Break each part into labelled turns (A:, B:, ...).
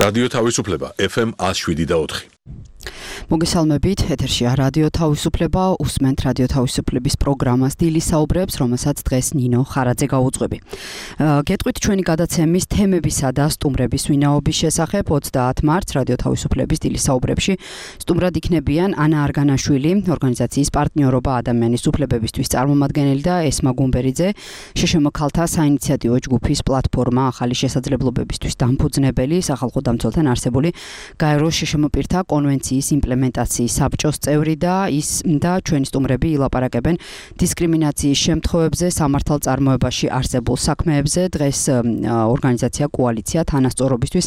A: რადიო თავისუფლება FM 107.4.
B: მოგესალმებით, ეთერშია რადიო თავისუფლება, უსმენთ რადიო თავისუფლების პროგრამას დილის საუბრებს, რომელსაც დღეს ნინო ხარაძე გაუძღვები. გეტყვით ჩვენი გადაცემის თემებისა და სტუმრების ვინაობის შესახებ 30 მარტს რადიო თავისუფლების დილის საუბრებში სტუმრად იქნებიან ანა არგანაშვილი, ორგანიზაციის პარტნიორობა ადამიანის უფლებებისთვის წარმომადგენელი და ესმა გუმბერიძე, შშმ ქალთა საინიციატივო ჯგუფის პლატფორმა ახალი შესაძლებლობებისთვის დამფუძნებელი, სახალხო დამცველთან არსებული გაეროს შშმ პირთა კონვენციის იმპლემენტაციის საბჭოს წევრი და ჩვენი სტუმრები ილაპარაკებენ დისკრიმინაციის შემთხვევებზე სამართალწარმოებაში არსებულ საქმეებზე. დღეს ორგანიზაცია კოალიცია თანასწორობისთვის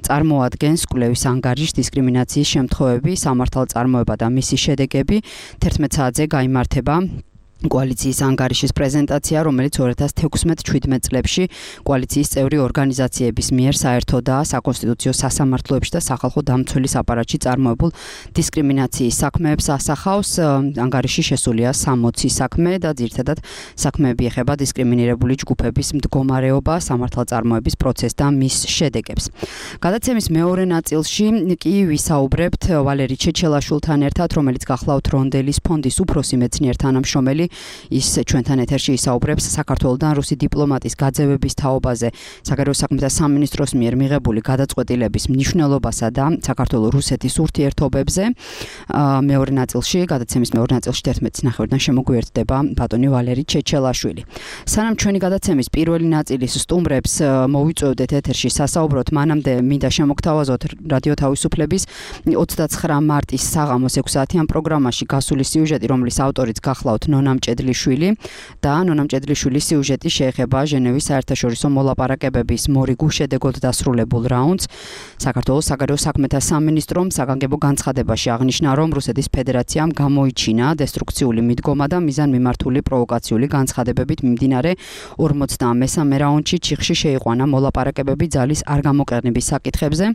B: წარმოადგენს კვლევის ანგარიშს დისკრიმინაციის შემთხვევები, სამართალწარმოება და მისი შედეგები. 11 საათზე გაიმართება კოალიციის ანგარიშის პრეზენტაცია, რომელიც 2016-17 წლებში კოალიციის წევრი ორგანიზაციების მიერ საერთო და საკონსტიტუციო სასამართლოებში და სახალხო დამცველის აპარატში წარმოებულ დისკრიმინაციის საქმეებს ასახავს. ანგარიში შესულია 60 საქმე და ძირითადად საქმეები ეხება დისკრიმინირებული ჯგუფების მდგომარეობა, სამართალწარმოების პროცესს და მის შედეგებს. გადაცემის მეორე ნაწილში კი ვისაუბრებთ ვალერი ჩეჩელაშვილთან ერთად, რომელიც გახლავთ რონდელის ფონდის უფროსი მეცნიერ თანამშრომელი. ის ჩვენთან ეთერში ისაუბრებს საქართველოდან რუსი დიპლომატის გაძევების თაობაზე, საგარეო საქმეთა სამინისტროს მიერ მიღებული გადაწყვეტილების მნიშვნელობასა და საქართველო-რუსეთის ურთიერთობებზე. გადაცემის მეორე ნაწილში 11:30-დან შემოგვიერთდება ბატონი ვალერი ჩეჩელაშვილი. სანამ ჩვენი გადაცემის პირველი ნაწილის სტუმრებს მოვიწვევდეთ ეთერში სასაუბროთ, მანამდე მინდა შემოგთავაზოთ რადიო თავისუფლების 29 მარტის საღამოს 6 საათიან პროგრამაში გასული სიუჟეტი, რომლის ავტორიც გახლავთ ნონა მჭედლიშვილი და ნონა მჭედლიშვილის სიუჟეტი შეეხება ჟენევის საერთაშორისო მოლაპარაკებების მორიგ უშედეგოდ დასრულებულ რაუნდს. საქართველოს საგარეო საქმეთა სამინისტრომ საგანგებო განცხადებაში აღნიშნა, რომ რუსეთის ფედერაციამ გამოიჩინა დესტრუქციული მიდგომა და მიზანმიმართული პროვოკაციული განცხადებებით მიმდინარე 43 რაუნდში ჩიხში შეიყვანა მოლაპარაკებები ძალის არ გამოყენების საკითხებზე.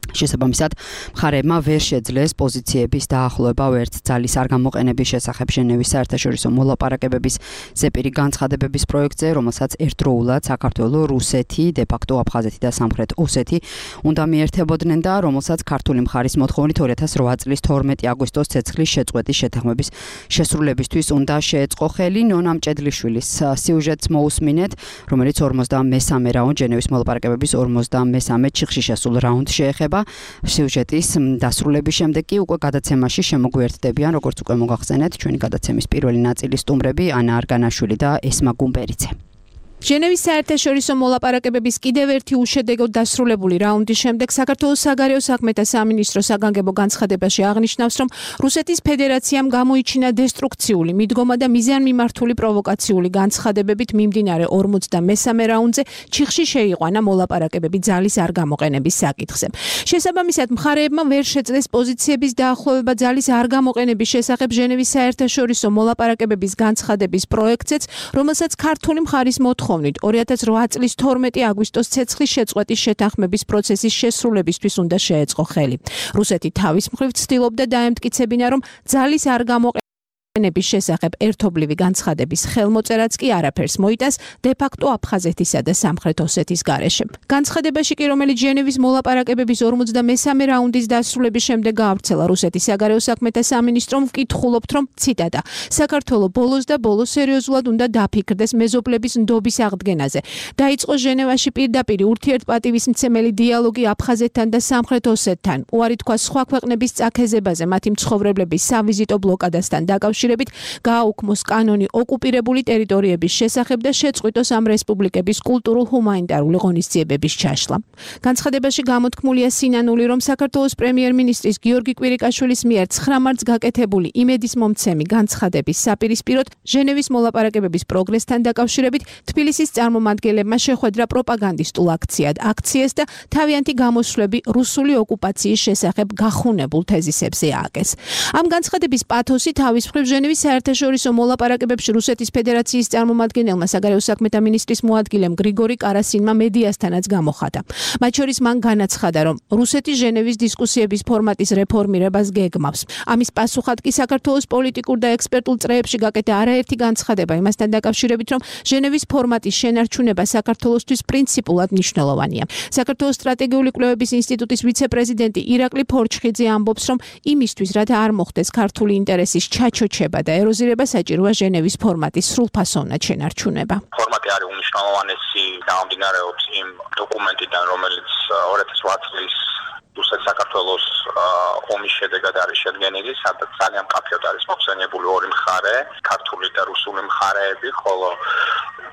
B: შესაბამისად, მხარეებმა ვერ შეძლეს პოზიციების დაახლოება ვერც ძალის არ გამოყენების შესახებ ჟენევის საერთაშორისო მოლაპარაკებების ზეპირი განცხადებების პროექტზე, რომელსაც ერთდროულად საქართველო, რუსეთი, დე-ფაქტო აფხაზეთი და სამხრეთ ოსეთი უნდა მიერთებოდნენ და რომელსაც ქართული მხარის მოთხოვნით 2008 წლის 12 აგვისტოს ცეცხლის შეწყვეტის შეთანხმების შესრულებისთვის უნდა შეეწყო ხელი. ნონა მჭედლიშვილის სიუჟეტს მოусმინეთ, რომელიც 43 რაუნდ ჟენევის მოლაპარაკებების 43 ჩიხში შესულ რაუნდს შეეხება. სიუჟეტის დასრულების შემდეგ კი უკვე გადაცემაში შემოგვიერთდებიან, როგორც უკვე მოგახსენეთ, ჩვენი გადაცემის პირველი ნაწილის სტუმრები ანა არგანაშვილი და ესმა გუმბერიძე.
C: ჟენევის საერთაშორისო მოლაპარაკებების კიდევ ერთი უშედეგოდ დასრულებული რაუნდის შემდეგ საქართველოს საგარეო საქმეთა სამინისტრო საგანგებო განცხადებაში აღნიშნავს, რომ რუსეთის ფედერაციამ გამოიჩინა დესტრუქციული მიდგომა და მიზანმიმართული პროვოკაციული განცხადებებით მიმდინარე 43 რაუნდზე ჩიხში შეიყვანა მოლაპარაკებები ძალის არ გამოყენების საკითხზე. შესაბამისად, მხარეებმა ვერ შეძლეს პოზიციების დაახლოება ძალის არ გამოყენების შესახებ ჟენევის საერთაშორისო მოლაპარაკებების განცხადების პროექტზეც, რომელსაც ქართული მხარის 2008 წლის 12 აგვისტოს ცეცხლის შეწყვეტის შეთანხმების პროცესის შესრულებისთვის უნდა შეეწყო ხელი. რუსეთი თავის მხრივ ცდილობდა დაემტკიცებინა, რომ ძალის არ გამოყენების შესახებ ერთობლივი განცხადების ხელმოწერაც კი არაფერს მოიტანს დე-ფაქტო აფხაზეთისა და სამხრეთ ოსეთის გარეშე. განცხადებაში კი, რომელიც ჟენევის მოლაპარაკებების 43 რაუნდის დასრულების შემდეგ გაავრცელა რუსეთის საგარეო საქმეთა სამინისტრომ, ვკითხულობთ, რომ ციტატა საქართველო ბოლოს და ბოლოს სერიოზულად უნდა დაფიქრდეს მეზობლების ნდობის აღდგენაზე. დაიწყო ჟენევაში პირდაპირ ურთიერთპატივისმცემელი დიალოგი აფხაზეთთან და სამხრეთ ოსეთთან. უარი თქვა სხვა ქვეყნების წაქეზებაზე მათი მცხოვრებლების სავიზიტო ბლოკადასთან დაკავშირებით. გააუქმოს კანონი ოკუპირებული ტერიტორიების შესახებ და შეწყვიტოს ამ რესპუბლიკების კულტურულ-ჰუმანიტარული ღონისძიებების ჩაშლა. განცხადებაში გამოთქმულია სინანული, რომ საქართველოს პრემიერ-მინისტრის გიორგი კვირიკაშვილის მიერ 9 მარტს გაკეთებული იმედისმომცემი განცხადების საპირისპიროდ ჟენევის მოლაპარაკებების პროგრესთან დაკავშირებით თბილისის წარმომადგენლებმა შეხვედრა პროპაგანდისტულ აქციას და თავიანთი გამოსვლები რუსული ოკუპაციის შესახებ გახუნებულ თეზისებზე ააგეს. ამ განცხადების პათოსი თავის მხრივ ჟენევის საერთაშორისო მოლაპარაკებებში რუსეთის ფედერაციის წარმომადგენელმა საგარეო საქმეთა მინისტრის მოადგილემ გრიგორი კარასინმა მედიასთანაც გამოხატა. მათ შორის მან განაცხადა, რომ რუსეთი ჟენევის დისკუსიების ფორმატის რეფორმირებას გეგმავს. ამის პასუხად კი საქართველოს პოლიტიკურ და ექსპერტულ წრეებში გაკეთა არაერთი განცხადება იმასთან დაკავშირებით, რომ ჟენევის ფორმატის შენარჩუნება საქართველოსთვის პრინციპულად მნიშვნელოვანია. საქართველოს სტრატეგიული კვლევების ინსტიტუტის ვიცე-პრეზიდენტი ირაკლი ფორჩხიძე ამბობს, რომ იმისთვის, რათა არ მოხდეს ქართული ინტერესის ჩაჩოჩება და ეროზირება, საჭიროა ჟენევის ფორმატის სრულფასოვნად შენარჩუნება.
D: ფორმატი არის უმნიშვნელოვანესი გამომდინარეობს იმ დოკუმენტიდან, რომელიც 2008 წლის რუსეთ-საქართველოს ომის შედეგად არის შედგენილი, სადაც ძალიან მკაფიოდ არის მოხსენიებული ორი მხარე, ქართული და რუსული მხარეები, ხოლო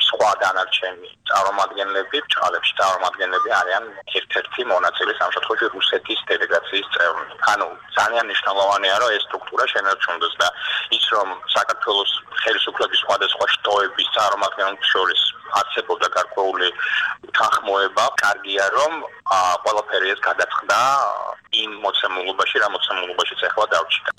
D: სხვა დანარჩენი წარმომადგენლები, ბრჭყალებში წარმომადგენლები არიან ერთ-ერთი მონაწილე ამ შემთხვევაში რუსეთის დელეგაციის წევრი. ანუ ძალიან მნიშვნელოვანია, რომ ეს სტრუქტურა შენარჩუნდეს და ის რომ საქართველოს ხელისუფლების სხვადასხვა შტოების წარმომადგენლებს შორის არსებობდა გარკვეული თანხმოება, კარგია რომ ყველაფერი ეს გადაწყდა იმ მოცემულობაში, რა მოცემულობაშიც ახლა დავჭირდა.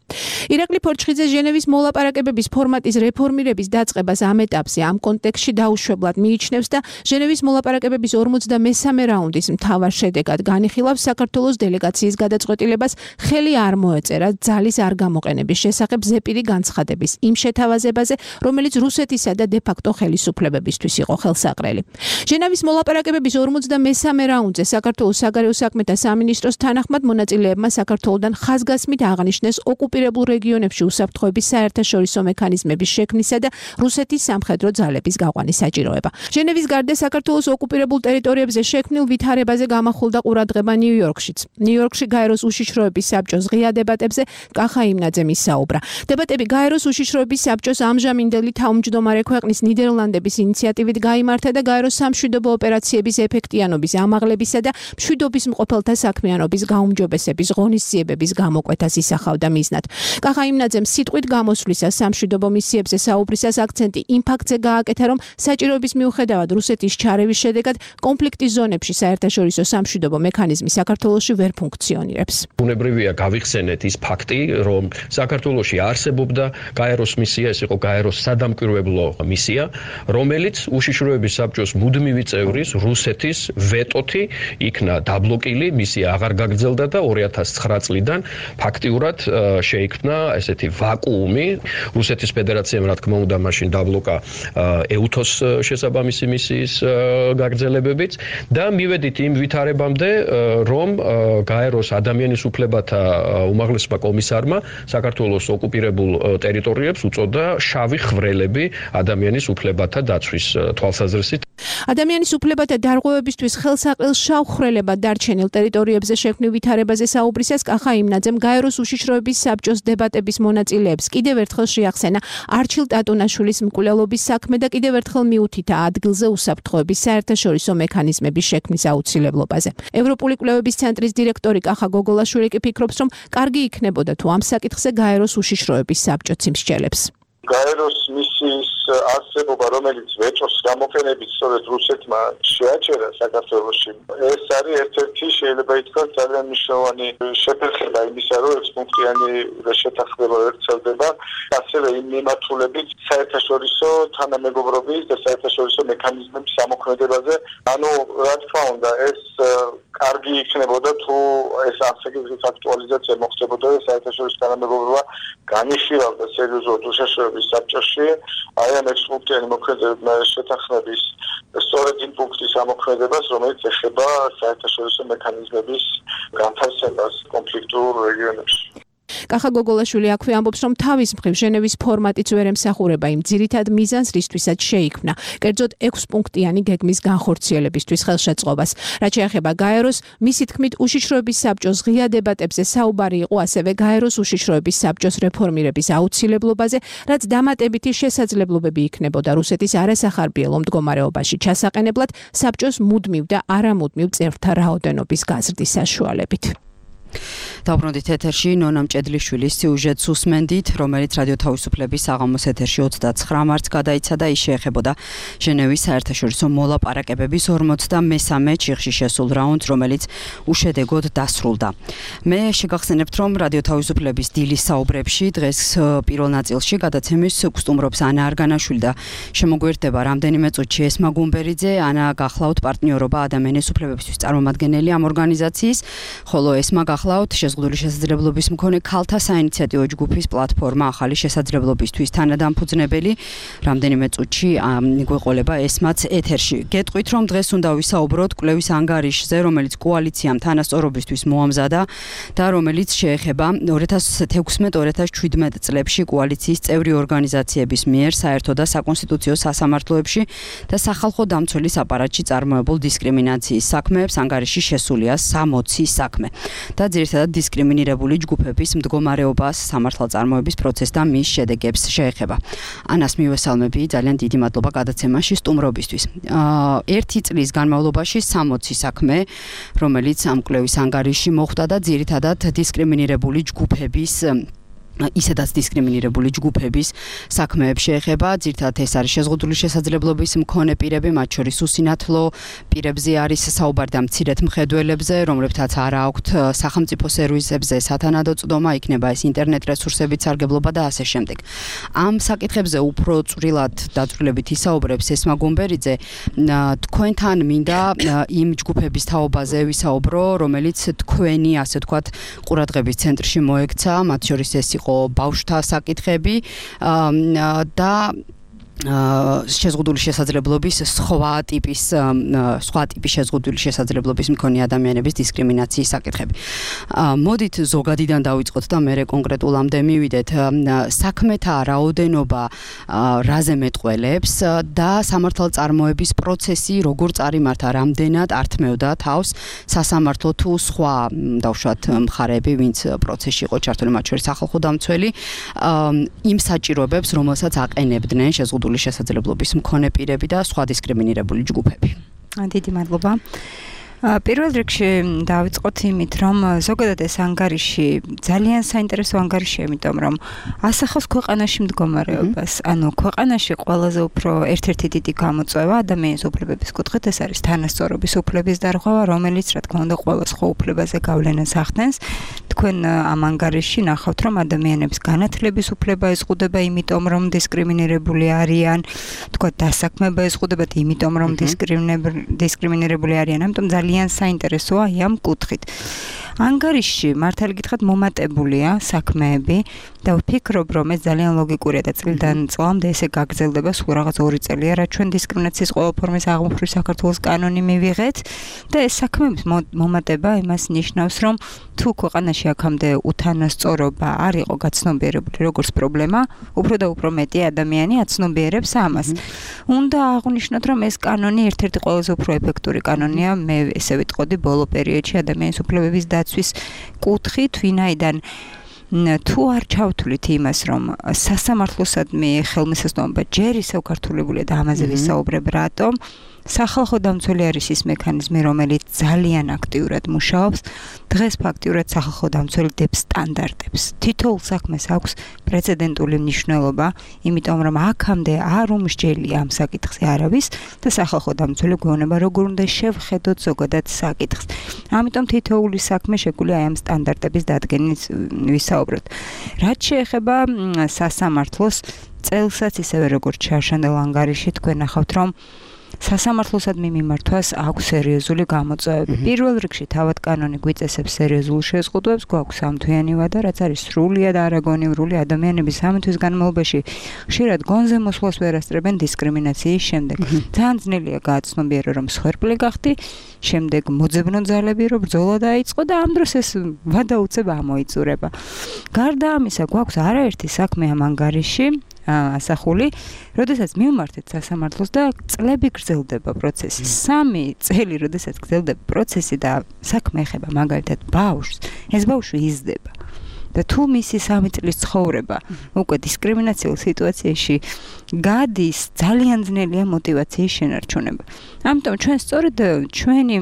C: ირაკლი ფორჩხიძე ჟენევის მოლაპარაკებების ფორმატის რეფორმირების დაწყებას ამ ეტაპზე ამ კონტექსტში დაუშვებლად მიიჩნევს და ჟენევის მოლაპარაკებების 53 რაუნდის მთავარ შედეგად განიხილავს საქართველოს დელეგაციის გადაწყვეტილებას ხელი არ მოეწერა ძალის არ გამოყენების შესახებ ზეპირი განცხადების იმ შეთავაზებაზე, რომელიც რუსეთისა და დე-ფაქტო ხელისუფლებებისთვის იყო ხელსაყრელი. ჟენევის მოლაპარაკებების 53 რაუნდზე საქართველოს საგარეო საქმეთა სამინისტროს თანახმად მონაწილეებმა საქართველოდან ხაზგასმით აღნიშნეს ოკუპირებულ რეგიონებში უსაფრთხოების საერთაშორისო მექანიზმების შექმნისა და რუსეთის სამხედრო ძალების გაყვანის საჭიროება. ჟენევის გარდა საქართველოს ოკუპირებულ ტერიტორიებზე შექმნილ ვითარებაზე გამახვილდა ყურადღება ნიუ-იორკშიც. ნიუ-იორკში გაეროს უშიშროების საბჭოს ღია დებატებზე კახა იმნაძემ ისაუბრა. დებატები გაეროს უშიშროების საბჭოს ამჟამინდელი თავმჯდომარე ქვეყნის ნიდერლანდების ინიციატივით გაიმართა და გაეროს სამშვიდობო ოპერაციების ეფექტიანობის ამაღლებისა და მშვიდობის მყოფელთა საქმიანობის გაუმჯობესების ღონისძიებების გამოკვეთას ისახავდა მიზნად. კახა იმნაძემ სიტყვით გამოსვლისას სამშვიდობო მისიებზე საუბრისას აქცენტი იმ ფაქტზე გააკეთა, რომ საჭიროების მიუხედავად რუსეთის ჩარევის შედეგად კონფლიქტის ზონებში საერთაშორისო სამშვიდობო მექანიზმი საქართველოში ვერ ფუნქციონირებს.
E: ბუნებრივია გავიხსენეთ ის ფაქტი, რომ საქართველოში არსებობდა გაეროს მისია, ეს იყო გაეროს სადამკვირვებლო მისია, რომელიც უშიშროების საბჭოს მუდმივი წევრის რუსეთის ვეტოთი იქნა დაბლოკილი, მისია აღარ გაგრძელდა და 2009 წლიდან ფაქტიურად შეიქმნა ესეთი ვაკუუმი. რუსეთის ფედერაციამ რა თქმა უნდა მაშინ დაბლოკა ეუთოს შესაბამისი მისიის გაგრძელებებიც და მივედით იმ ვითარებამდე, რომ გაეროს ადამიანის უფლებათა უმაღლესმა კომისარმა საქართველოს ოკუპირებულ ტერიტორიებს უწოდა შავი ხვრელები ადამიანის უფლებათა დაცვის თვალსაზრისით.
C: ადამიანის უფლებათა დარღვევებისთვის ხელსაყრელ შავ ხვრელებად დარჩენილ ტერიტორიებზე შექმნილ ვითარებაზე საუბრისას კახა იმნაძემ გაეროს უშიშროების საბჭოს დებატების მონაწილეებს კიდევ ერთხელ შეახსენა არჩილ ტატუნაშვილის მკვლელობის საქმე და კიდევ ერთხელ მიუთითა ადგილზე უსაფრთხოების საერთაშორისო მექანიზმების შექმნის აუცილებლობაზე. ევროპული კვლევების ცენტრის დირექტორი კახა გოგოლაშვილი კი ფიქრობს, რომ კარგი იქნებოდა თუ ამ საკითხზე გაეროს უშიშროების საბჭოც იმსჯელებს.
F: გაეროს მისიის არსებობა, რომელიც ვეტოს გამოყენებით სწორედ რუსეთმა შეაჩერა საქართველოში, ეს არის ერთ-ერთი შეიძლება ითქვას ძალიან მნიშვნელოვანი შეფერხება იმისა, რომ ექსპუნქტიანი შეთანხმება ვრცელდება, ასევე იმ მიმართულებით საერთაშორისო თანამეგობრობის და საერთაშორისო მექანიზმების ამოქმედებაზე. ანუ რა თქმა უნდა, ეს კარგი იქნებოდა თუ ეს ამ საკითხის აქტუალიზაცია მოხდებოდა და საერთაშორისო თანამეგობრობა განიხილავდა სერიოზულად უშიშროების საბჭოში აი ამ ექსპუნქტიანი მოქმედებების შეთანხმების სწორედ იმ პუნქტის ამოქმედებას, რომელიც ეხება საერთაშორისო მექანიზმების განთავსებას კონფლიქტურ რეგიონებში.
C: კახა გოგოლაშვილი აქვე ამბობს, რომ თავის მხრივ ჟენევის ფორმატიც ვერ ემსახურება იმ ძირითად მიზანს, რისთვისაც შეიქმნა, კერძოდ 6 პუნქტიანი გეგმის განხორციელებისთვის ხელშეწყობას. რაც შეეხება გაეროს, მისი თქმით, უშიშროების საბჭოს ღია დებატებზე საუბარი იყო ასევე გაეროს უშიშროების საბჭოს რეფორმირების აუცილებლობაზე, რაც დამატებითი შესაძლებლობები იქნებოდა რუსეთის არასახარბიელო მდგომარეობაში ჩასაყენებლად საბჭოს მუდმივ და არამუდმივ წევრთა რაოდენობის გაზრდის საშუალებით.
B: Დაბრუნდით ეთერში ნონა მჭედლიშვილის სიუჟეტს უსმენდით, რომელიც რადიო თავისუფლების საღამოს ეთერში 29 მარტს გადაიცა და ის შეეხებოდა ჟენევის საერთაშორისო მოლაპარაკებების 43-მე ჩიხში შესულ რაუნდს, რომელიც უშედეგოდ დასრულდა. მე შეგახსენებთ, რომ რადიო თავისუფლების დილის საუბრებში დღეს პირველ ნაწილში გადაცემის გსტუმრობს ანა არგანაშვილი და შემოგვერდება რამდენიმე წუთში ესმა გუმბერიძე. ანა გახლავთ პარტნიორობა ადამიანის უფლებებისთვის წარმომადგენელი ამ ორგანიზაციის, ხოლო ესმა გახლავთ შეზღუდული შესაძლებლობის მქონე ქალთა საინიციატივო ჯგუფის პლატფორმა ახალი შესაძლებლობისთვის თანადამფუძნებელი. რამდენიმე წუთში გვეყოლება ესმაც ეთერში. გეტყვით, რომ დღეს უნდა ვისაუბროთ კვლევის ანგარიშზე, რომელიც კოალიციამ თანასწორობისთვის მოამზადა და რომელიც შეეხება 2016-2017 წლებში კოალიციის წევრი ორგანიზაციების მიერ საერთო და საკონსტიტუციო სასამართლოებში და სახალხო დამცველის აპარატში წარმოებულ დისკრიმინაციის საქმეებს. ანგარიში შესულია 60 საქმე და ძირითადად დისკრიმინირებული ჯგუფების მდგომარეობას, სამართალწარმოების პროცესს და მის შედეგებს შეეხება. ანას მივესალმები, ძალიან დიდი მადლობა გადაცემაში სტუმრობისთვის. ერთი წლის განმავლობაში 60 საქმე, რომელიც ამ კვლევის ანგარიში მოხვდა და ძირითადად დისკრიმინირებული ჯგუფების ისედაც დისკრიმინირებული ჯგუფების საქმეებს შეეხება. ძირითადად ეს არის შეზღუდული შესაძლებლობის მქონე პირები, მათ შორის უსინათლო პირებზე არის საუბარი და მცირედ მხედველებზე, რომლებთაც არ აქვთ სახელმწიფო სერვისებზე სათანადო წვდომა, იქნება ეს ინტერნეტ რესურსებით სარგებლობა და ასე შემდეგ. ამ საკითხებზე უფრო წვრილად დაწვრილებით ისაუბრებს ესმა გუმბერიძე. თქვენთან მინდა იმ ჯგუფების თაობაზე ვისაუბრო, რომელიც თქვენი, ასე ვთქვათ, ყურადღების ცენტრში მოექცა, მათ შორის ეს ბავშვთა საკითხები და შეზღუდული შესაძლებლობის სხვა ტიპის შეზღუდული შესაძლებლობის მქონე ადამიანების დისკრიმინაციის საკითხები. მოდით ზოგადიდან დავიწყოთ და მერე კონკრეტულამდე მივიდეთ. საქმეთა რაოდენობა რაზე მეტყველებს და სამართალწარმოების პროცესი როგორ წარიმართა, რამდენად ართმევდა თავს სასამართლო თუ სხვა დავშვათ მხარეები, ვინც პროცესში იყო ჩართული, მათ შორის სახალხო დამცველი, იმ საჭიროებებს, რომელსაც აყენებდნენ შეზღუდული შესაძლებლობის მქონე პირები და სხვა დისკრიმინირებული ჯგუფები.
G: დიდი მადლობა. პირველ რიგში დავიწყოთ იმით, რომ ზოგადად ეს ანგარიში ძალიან საინტერესო ანგარიშია, იმიტომ რომ ასახავს ქვეყანაში მდგომარეობას. ანუ ქვეყანაში ყველაზე უფრო ერთ-ერთი დიდი გამოწვევა ადამიანის უფლებების კუთხით ეს არის თანასწორობის უფლების დარღვევა, რომელიც რა თქმა უნდა ყველა სხვა უფლებაზე გავლენას ახდენს. თქვენ ამ ანგარიშში ნახავთ, რომ ადამიანების განათლების უფლება ეზღუდება, იმიტომ რომ დისკრიმინირებული არიან, თქვა დასაქმება ეზღუდებათ, იმიტომ რომ დისკრიმინირებული არიან. ამიტომ ძალიან საინტერესოა ამ კუთხით. ანგარიში მართალი გითხრათ მომატებულია საქმეები და ვფიქრობ, რომ ეს ძალიან ლოგიკურია და წლიდან წლამდე ესე გაგრძელდება, სულ რაღაც 2 წელია, რაც ჩვენ დისკრიმინაციის ყველა ფორმის აღმოფხვრით საქართველოს კანონი მივიღეთ და ეს საქმეების მომატება იმას ნიშნავს, რომ თუ ქვეყანაში აქამდე უთანასწორობა არ იყო გაცნობიერებული როგორც პრობლემა, უფრო და უფრო მეტი ადამიანი აცნობიერებს ამას. უნდა აღვნიშნოთ, რომ ეს კანონი ერთ-ერთი ყველაზე უფრო ეფექტური კანონია, მე ესე ვიტყოდი ბოლო პერიოდში ადამიანის უფლებების დაცვის კუთხით, ვინაიდან თუ არ ჩავთვლით იმას, რომ სასამართლოსადმი ხელმისაწვდომობა ჯერ ისევ გართულებულია და ამაზე ვისაუბრებ, რატომ სახალხო დამცველი არის ის მექანიზმი, რომელიც ძალიან აქტიურად მუშაობს. დღეს ფაქტიურად სახალხო დამცველი დებს სტანდარტებს. თითოეულ საქმეს აქვს პრეცედენტული მნიშვნელობა, იმიტომ რომ აქამდე არ უმსჯელია ამ საკითხზე არავის და სახალხო დამცველი გვეუბნება, როგორ უნდა შევხედოთ ზოგადად საკითხს. ამიტომ თითოეული საქმე შეგვიძლია ამ სტანდარტების დადგენის ვისაუბროთ. რაც შეეხება სასამართლოს წელსაც ისევე როგორც ჩაშენდელ ანგარიში თქვენ ნახავთ, რომ სასამართლოსადმი მიმართვას აქვს სერიოზული გამოწვევები. პირველ რიგში თავად კანონი გვიწესებს სერიოზულ შეზღუდვებს, გვაქვს სამთვიანი ვადა, რაც არის სრულიად არაგონივრული ადამიანების ამ თვის განმავლობაში ხშირად გონზე მოსვლას ვერ ასწრებენ დისკრიმინაციის შემდეგ. ძალიან ძნელია გააცნობიერო, რომ მსხვერპლი გახდი, შემდეგ მოძებნო ძალები რომ ბრძოლა დაიწყო და ამ დროს ეს ვადა უცებ ამოიწურება. გარდა ამისა, გვაქვს არაერთი საქმე ამ ანგარიში, ასახული, როდესაც მივმართეთ სასამართლოს და წლები გრძელდება პროცესი. 3 წელი, როდესაც გრძელდება პროცესი და საქმე ეხება მაგალითად ბავშვს, ეს ბავშვი იზრდება. და თუ მისი 3 წლის ცხოვრება უკვე დისკრიმინაციულ სიტუაციაში გადის, ძალიან ძნელია მოტივაციის შენარჩუნება. ამიტომ ჩვენ სწორედ ჩვენი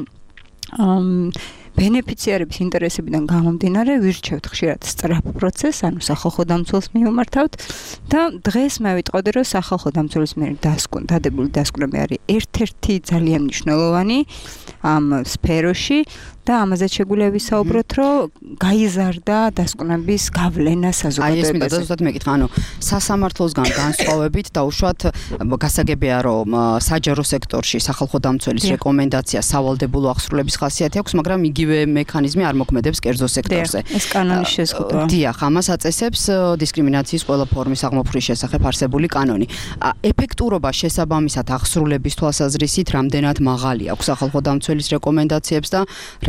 G: ბენეფიციარების ინტერესებიდან გამომდინარე ვირჩევთ ხშირად სწრაფ პროცესს, ანუ სახალხო დამცველს მივმართავთ და დღეს მე ვიტყოდი, რომ სახალხო დამცველის მიერ დადებული დასკვნები არის ერთ-ერთი ძალიან მნიშვნელოვანი ამ სფეროში და ამაზე შეგვიძლია ვისაუბროთ, რომ გაიზარდა დასკვნების გავლენა საზოგადოებაზე.
B: აი ეს მინდა ზუსტად მეკითხა, ანუ სასამართლოსგან განსხვავებით დაუშვათ გასაგებია, რომ საჯარო სექტორში სახალხო დამცველის რეკომენდაცია სავალდებულო აღსრულების ხასიათი აქვს, მაგრამ იგივე მექანიზმი არ მოქმედებს კერძო სექტორზე.
G: ეს კანონის შეზღუდვა.
B: დიახ, ამას აწესებს დისკრიმინაციის ყველა ფორმის აღმოფხრის შესახებ არსებული კანონი. ეფექტურობა შესაბამისად აღსრულების თვალსაზრისით რამდენად მაღალი აქვს სახალხო დამცველის რეკომენდაციებს და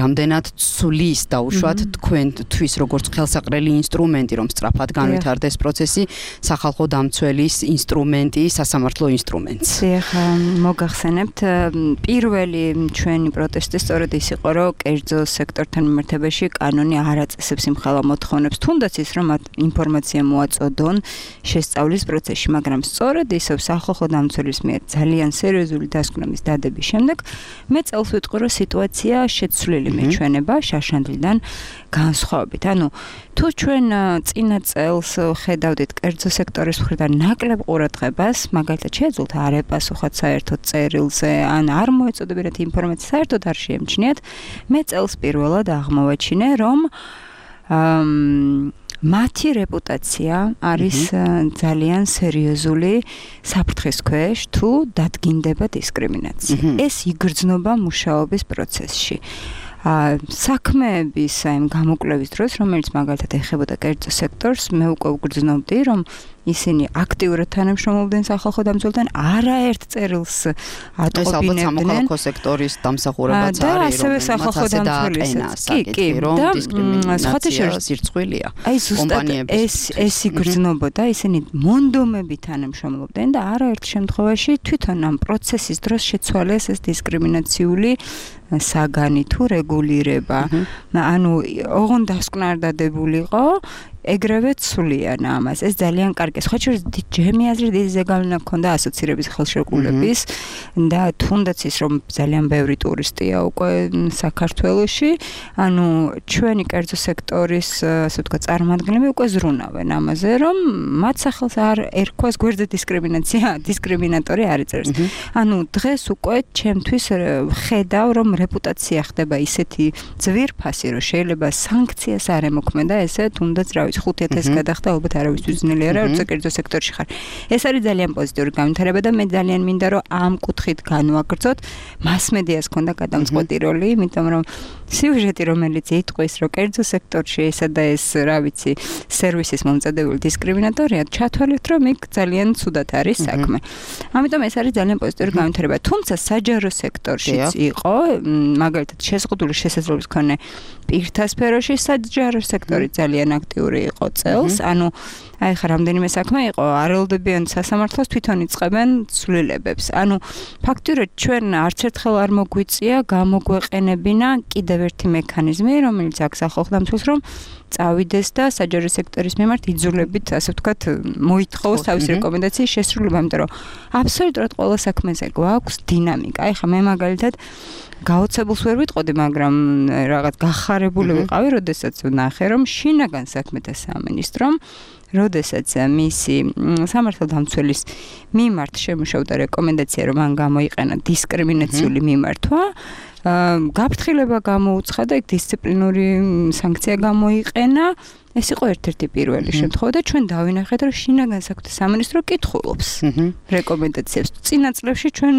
B: რამდენად ცulis დაუშვათ თქვენთვის როგორც ხელსაყრელი ინსტრუმენტი, რომ სწრაფად განვითარდეს პროცესი, სახალხო დამცველის ინსტრუმენტი, სასამართლო ინსტრუმენტს.
G: დიახ, მოგახსენებთ, პირველი ჩვენი პროტესტი სწორედ ის იყო, რომ კერძო სექტორთან მიმართებაში კანონი არ აწესებს იმ ხელა მოთხოვნებს, თუნდაც ის რომ მათ ინფორმაცია მოაწოდონ შესწავლის პროცესში, მაგრამ სწორედ ისევ სახალხო დამცველის მიერ ძალიან სერიოზული დასკვნების დადების შემდეგ მე წელს ვიტყვი, რომ სიტუაცია შეცვლილი მეჩვენება შაშანდლიდან განსხვავებით. ანუ თუ ჩვენ წინა წელს ხედავდით კერძო სექტორის მხრიდან ნაკლებ ყურადღებას, მაგალითად შეეძლოთ არ ეპასუხოთ საერთოდ წერილზე, ან არ მოეწოდებინათ ინფორმაცია, საერთოდ არ შეემჩნიათ, მე წელს პირველად აღმოვაჩინე, რომ მათი რეპუტაცია არის ძალიან სერიოზული საფრთხის ქვეშ, თუ დადგინდება დისკრიმინაცია. ეს იგრძნობა მუშაობის პროცესში. საქმეების აი გამოკვლევის დროს, რომელიც მაგალითად ეხებოდა კერძო სექტორს, მე უკვე ვგრძნობდი, რომ ისინი აქტიურად თანამშრომლობდნენ სახალხო დამცველთან, არაერთ წერილს ატყობინებდნენ.
B: ეს ალბათ სამოქალაქო სექტორის დამსახურებაც არის,
G: და ასევე სახალხო დამცველისაც. კი,
B: რომ დისკრიმინაცია სირცხვილია.
G: აი ზუსტად ეს იგრძნობოდა, ისინი მონდომებით თანამშრომლობდნენ და არაერთ შემთხვევაში თვითონ ამ პროცესის დროს შეცვალეს ეს დისკრიმინაციული საგანი თუ რეგულირება. ანუ ოღონდ დასკვნა არ დადებულიყო, ეგრევე ცვლიან ამას. ეს ძალიან კარგი. სხვა შორის ჯემი აზრი დიდი ზეგავლენა ჰქონდა ასოცირების ხელშეკრულების და თუნდაც ის რომ ძალიან ბევრი ტურისტია უკვე საქართველოში, ანუ ჩვენი კერძო სექტორის ასე ვთქვათ წარმომადგენლები უკვე ზრუნავენ ამაზე, რომ მათ სახელს არ ერქვას გვერდზე დისკრიმინატორი არ იწერს. ანუ დღეს უკვე ჩემთვის ხედავ, რომ რეპუტაცია ხდება ისეთი ძვირფასი, რომ შეიძლება სანქციას არ ემოქმედა ესე თუნდაც რა 5,000 გადახდა, ალბათ არავისთვის ძნელი არა, როცა კერძო სექტორში ხარ. ეს არის ძალიან პოზიტიური განვითარება და მე ძალიან მინდა რომ ამ კუთხით განვაგრძოთ. მასმედიას ქონდა გადამწყვეტი როლი, იმიტომ რომ სიუჟეტი რომელიც იტყვის, რომ კერძო სექტორში ესა და ეს, რა ვიცი, სერვისის მომწადებული დისკრიმინატორია, ჩათვალეთ, რომ იქ ძალიან ცუდად არის საქმე. ამიტომ ეს არის ძალიან პოზიტიური განვითარება. თუმცა საჯარო სექტორშიც იყო, მაგალითად შეზღუდული შესაძლებლობის მქონე პირთა სფეროში საჯარო სექტორი ძალიან აქტიური იყო წელს, ანუ აი ხა რამდენიმე საქმე იყო, არელოდებიან სასამართლოს თვითონ იწყებენ ცვლილებებს. ანუ ფაქტურად ჩვენ არც ერთხელ არ მოგვიწია გამოგვეყენებინა კიდევ ერთი მექანიზმი, რომელიც აქვს სახალხო დამცველს, რომ წავიდეს და საჯარო სექტორის მიმართ იძულებით, ასე ვთქვათ, მოითხოვოს თავის რეკომენდაციის შესრულება, იმიტომ რომ აბსოლუტურად ყველა საქმეზე გვაქვს დინამიკა. აი ხა მე მაგალითად გაოცებულს ვერ ვიტყოდი, მაგრამ რაღაც გახარებული ვიყავი, როდესაც ვნახე, რომ შინაგან საქმეთა სამინისტრომ როდესაც მისი სამართალ დამცველის მიმართ შემუშავდა რეკომენდაცია, რომ მან გამოიყენა დისკრიმინაციული მიმართვა, გაფრთხილება გამოუცხა და იქ დისციპლინური სანქცია გამოიყენა. ეს იყო ერთ-ერთი პირველი შემთხვევა და ჩვენ დავინახეთ, რომ შინაგან საქმეთა სამინისტრო კითხულობს რეკომენდაციებს. წინა წლებში ჩვენ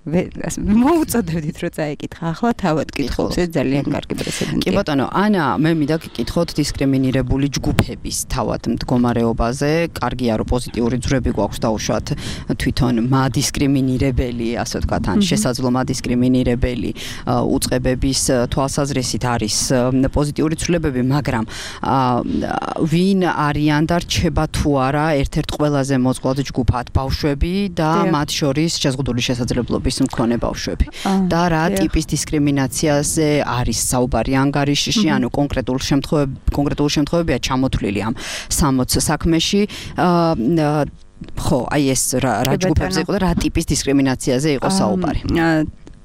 G: მოუწოდებდით რომ წაიკითხა, ახლა თავად კითხულობს. ეს ძალიან კარგი პრეცედენტია.
B: კი ბატონო, ანა, მე მინდა გკითხოთ დისკრიმინირებული ჯგუფების თავად მდგომარეობაზე. კარგია, რომ პოზიტიური ძვრები გვაქვს დაუშვათ თვითონ მადისკრიმინირებელი, ასე ვთქვათ, ან შესაძლო მადისკრიმინირებელი უწყებების თვალსაზრისით არის პოზიტიური ცვლილებები, მაგრამ ვინ არიან და რჩება თუ არა ერთ-ერთ ყველაზე მოწყვლად ჯგუფად ბავშვები და მათ შორის შეზღუდული შესაძლებლობის მქონე ბავშვები და რა ტიპის დისკრიმინაციაზე არის საუბარი ანგარიშში, ანუ კონკრეტულ შემთხვევებია ჩამოთვლილი ამ 60 საქმეში. ხო, აი ეს რა ჯგუფებზე იყო და რა ტიპის დისკრიმინაციაზე იყო საუბარი.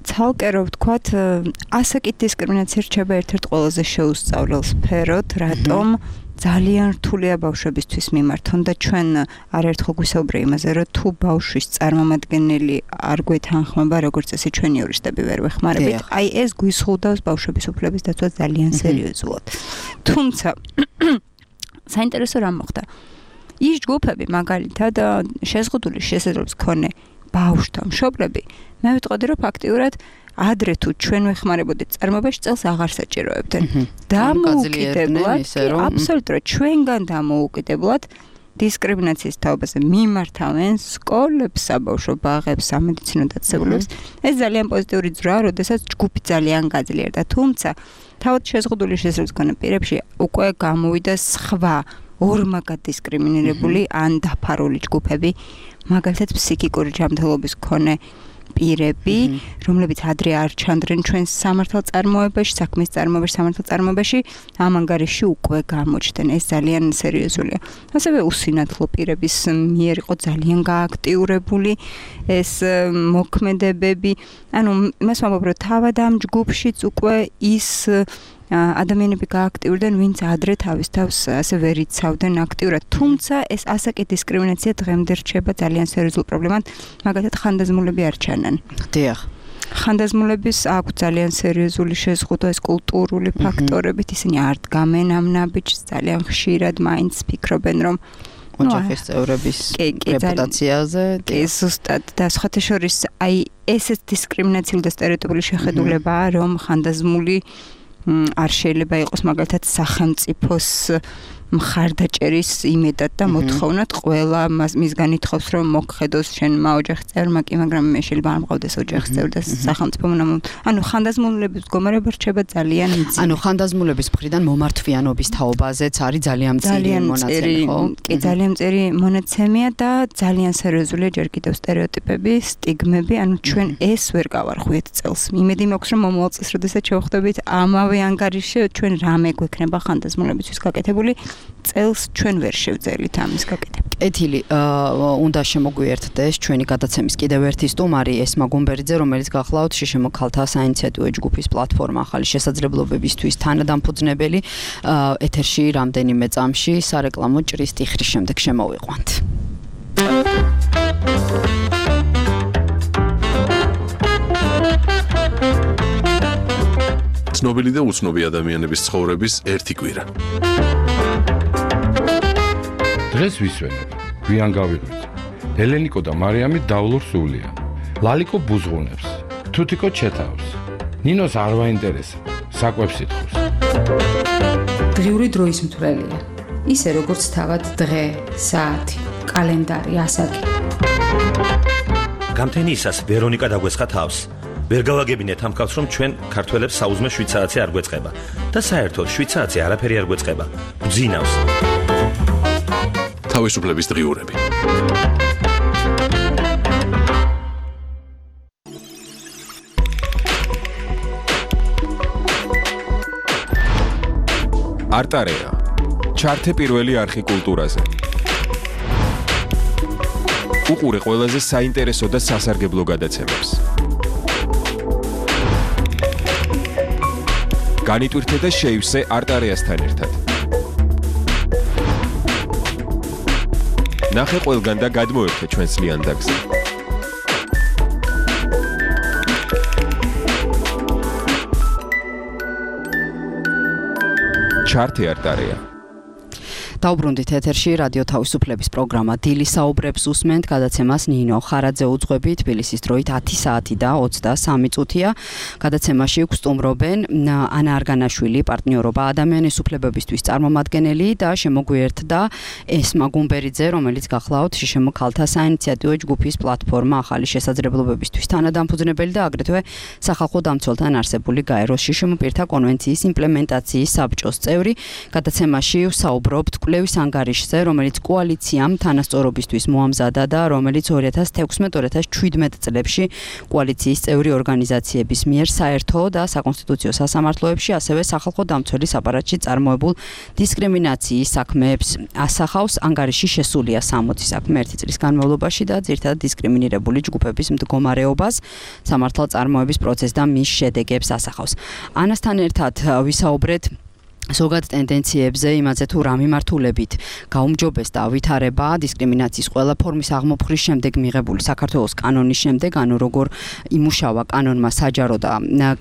G: ცალკე რო ვთქვათ, ასაკით დისკრიმინაცია რჩება ერთ-ერთ ყველაზე შეუსწავლელ სფეროდ, რატომ ძალიან რთულია ბავშვებისთვის მიმართონ და ჩვენ არაერთხელ გვისაუბრე იმაზე, რომ თუ ბავშვის წარმომადგენელი არ გვეთანხმება, როგორც წესი ჩვენი იურისტები ვერ ვეხმარებით, აი ეს გვიზღუდავს ბავშვების უფლების დაცვას ძალიან სერიოზულად. თუმცა საინტერესო რა მოხდა? ის ჯგუფები მაგალითად შეზღუდული შესაძლებლობის მქონე ბავშვთა მშობლები, მე ვიტყოდი, რომ ფაქტიურად ადრე თუ ჩვენ ვეხმარებოდით წარმოებაში წელს აღარ საჭიროებდნენ. დამოუკიდებლად, აბსოლუტურად ჩვენგან დამოუკიდებლად დისკრიმინაციის თაობაზე მიმართავენ სკოლებს, საბავშვო ბაღებს, სამედიცინო დაწესებულებას. ეს ძალიან პოზიტიური ძრაა, როდესაც ჯგუფი ძალიან გაძლიერდა. თუმცა თავად შეზღუდული შესაძლებლობის მქონე პირებში უკვე გამოვიდა სხვა ორმაგად დისკრიმინირებული ან დაფარული ჯგუფები, მაგალითად ფსიქიკური ჯანმრთელობის მქონე პირები, რომლებიც ადრე არ ჩანდნენ ჩვენს სამართალ წარმოებაში, საქმის წარმოებაში, სამართალ წარმოებაში, ამ ანგარიში უკვე გამოჩნდნენ. ეს ძალიან სერიოზულია. ასევე უსინათლო პირების მიერ იყო ძალიან გააქტიურებული ეს მოქმედებები. ანუ იმას ვამბობ, რომ თავად ამ ჯგუფშიც უკვე ის ადამიანები გააქტიურდნენ, ვინც ადრე თავის თავს ასე ვერ იცავდნენ აქტიურად. თუმცა ეს ასაკი დისკრიმინაცია დღემდე რჩება ძალიან სერიოზულ პრობლემად, მაგალითად ხანდაზმულები არ ჩანან.
B: დიახ.
G: ხანდაზმულების აქვს ძალიან სერიოზული შეზღუდვა ეს კულტურული ფაქტორებით, ისინი არ დგამენ ამ ნაბიჯს, ძალიან ხშირად მაინც ფიქრობენ, რომ
B: ოჯახის წევრების რეპუტაციაზე,
G: კი, ზუსტად და სხვათა შორის აი ესეც დისკრიმინაციული და სტერეოტიპული შეხედულებაა, რომ ხანდაზმული არ შეიძლება იყოს მაგალითად სახელმწიფოს მხარდაჭერის იმედად და მოთხოვნად ყველა მისგან ითხოვს რომ მოგხედოს შენმა ოჯახის წევრმა კი მაგრამ მე შეიძლება არ მყავდეს ოჯახის წევრი და სახელმწიფომ ანუ ხანდაზმულების მდგომარეობა რჩება ძალიან მძიმე.
B: ანუ ხანდაზმულების მხრიდან მომართვიანობის თაობაზეც არის ძალიან მწირი მონაცემი, ხო?
G: კი, ძალიან მწირი მონაცემია და ძალიან სერიოზულია ჯერ კიდევ სტერეოტიპები, სტიგმები, ანუ ჩვენ ეს ვერ გავარღვიეთ წელს. იმედი მაქვს რომ მომავალ წელს როდესაც შევხვდებით ამავე ანგარიშში ჩვენ რამე გვექნება ხანდაზმულებისთვის გაკეთებული წელს ჩვენ ვერ შევძელით ამის გაკეთება.
B: კეთილი, უნდა შემოგვიერთდეს ჩვენი გადაცემის კიდევ ერთი სტუმარი ესმა გუმბერიძე, რომელიც გახლავთ შშმ ქალთა საინიციატივო ჯგუფის პლატფორმა ახალი შესაძლებლობებისთვის თანადამფუძნებელი. ეთერში რამდენიმე წამში სარეკლამო ჭრის ტიხრის შემდეგ შემოვიყვანთ.
A: ცნობილი და უცნობი ადამიანების ცხოვრების ერთი კვირა.
H: დღეს ვისვენებ, გვიან გავიღვიძე. ელენიკო და მარიამი დავლურ სულიან. ლალიკო ბუზღუნებს, თუთიკო ჩეთავს. ნინოს არ ვაინტერესებს, საკვებს ითხოვს.
I: დღიური დროის მთვრელია. ისე როგორც თავად დღე, საათი, კალენდარი, ასაკი.
J: გამთენიისას ვერონიკა დაგვესხა თავს. ვერ გავაგებინეთ ამ ქალს, რომ ჩვენ ქართველებს საუზმე 7 საათი არ გვეწყება და საერთოდ 7 საათი არაფერი არ გვეწყება. გძინავს.
A: თავისუფლების დღიურები.
K: არტარეა. ჩართე პირველი არხი კულტურაზე. უყურე ყველაზე საინტერესო და სასარგებლო გადაცემებს. განიტვირთე და შეივსე არტარეასთან ერთად. ნახე ყველგან და გადმოერთე ჩვენს ლიანდაგზე. ჩართე არტარეა.
B: დაუბრუნდით ეთერში რადიო თავისუფლების პროგრამა დილი საუბრებს უსმენთ გადაცემას ნინო ხარაძე უძღვები თბილისის დროით 10 საათი და 23 წუთია. გადაცემაში გვსტუმრობენ ანა არგანაშვილი, პარტნიორობა ადამიანის უფლებებისთვის წარმომადგენელი და შემოგვიერთდა ესმა გუმბერიძე, რომელიც გახლავთ შშმ ქალთა საინიციატივო ჯგუფის პლატფორმა ახალი შესაძლებლობებისთვის თანადამფუძნებელი და აგრეთვე სახალხო დამცველთან არსებული გაეროს შშმ პირთა კონვენციის იმპლემენტაციის საბჭოს წევრი. გადაცემაში ვსაუბრობთ კვლევის ანგარიშზე, რომელიც კოალიციამ თანასწორობისთვის მოამზადა და რომელიც 2016-2017 წლებში კოალიციის წევრი ორგანიზაციების მიერ საერთო და საკონსტიტუციო სასამართლოებში, ასევე სახალხო დამცველის აპარატში წარმოებულ დისკრიმინაციის საქმეებს ასახავს. ანგარიში შესულია 60 საქმე ერთი წლის განმავლობაში და ძირითადად დისკრიმინირებული ჯგუფების მდგომარეობას, სამართალწარმოების პროცესს და მის შედეგებს ასახავს. ანასთან ერთად ვისაუბრეთ ზოგად ტენდენციებზე, იმაზე თუ რა მიმართულებით გაუმჯობესდა ვითარება დისკრიმინაციის ყველა ფორმის აღმოფხრის შემდეგ მიღებული საქართველოს კანონის შემდეგ, ანუ როგორ იმუშავა კანონმა საჯარო და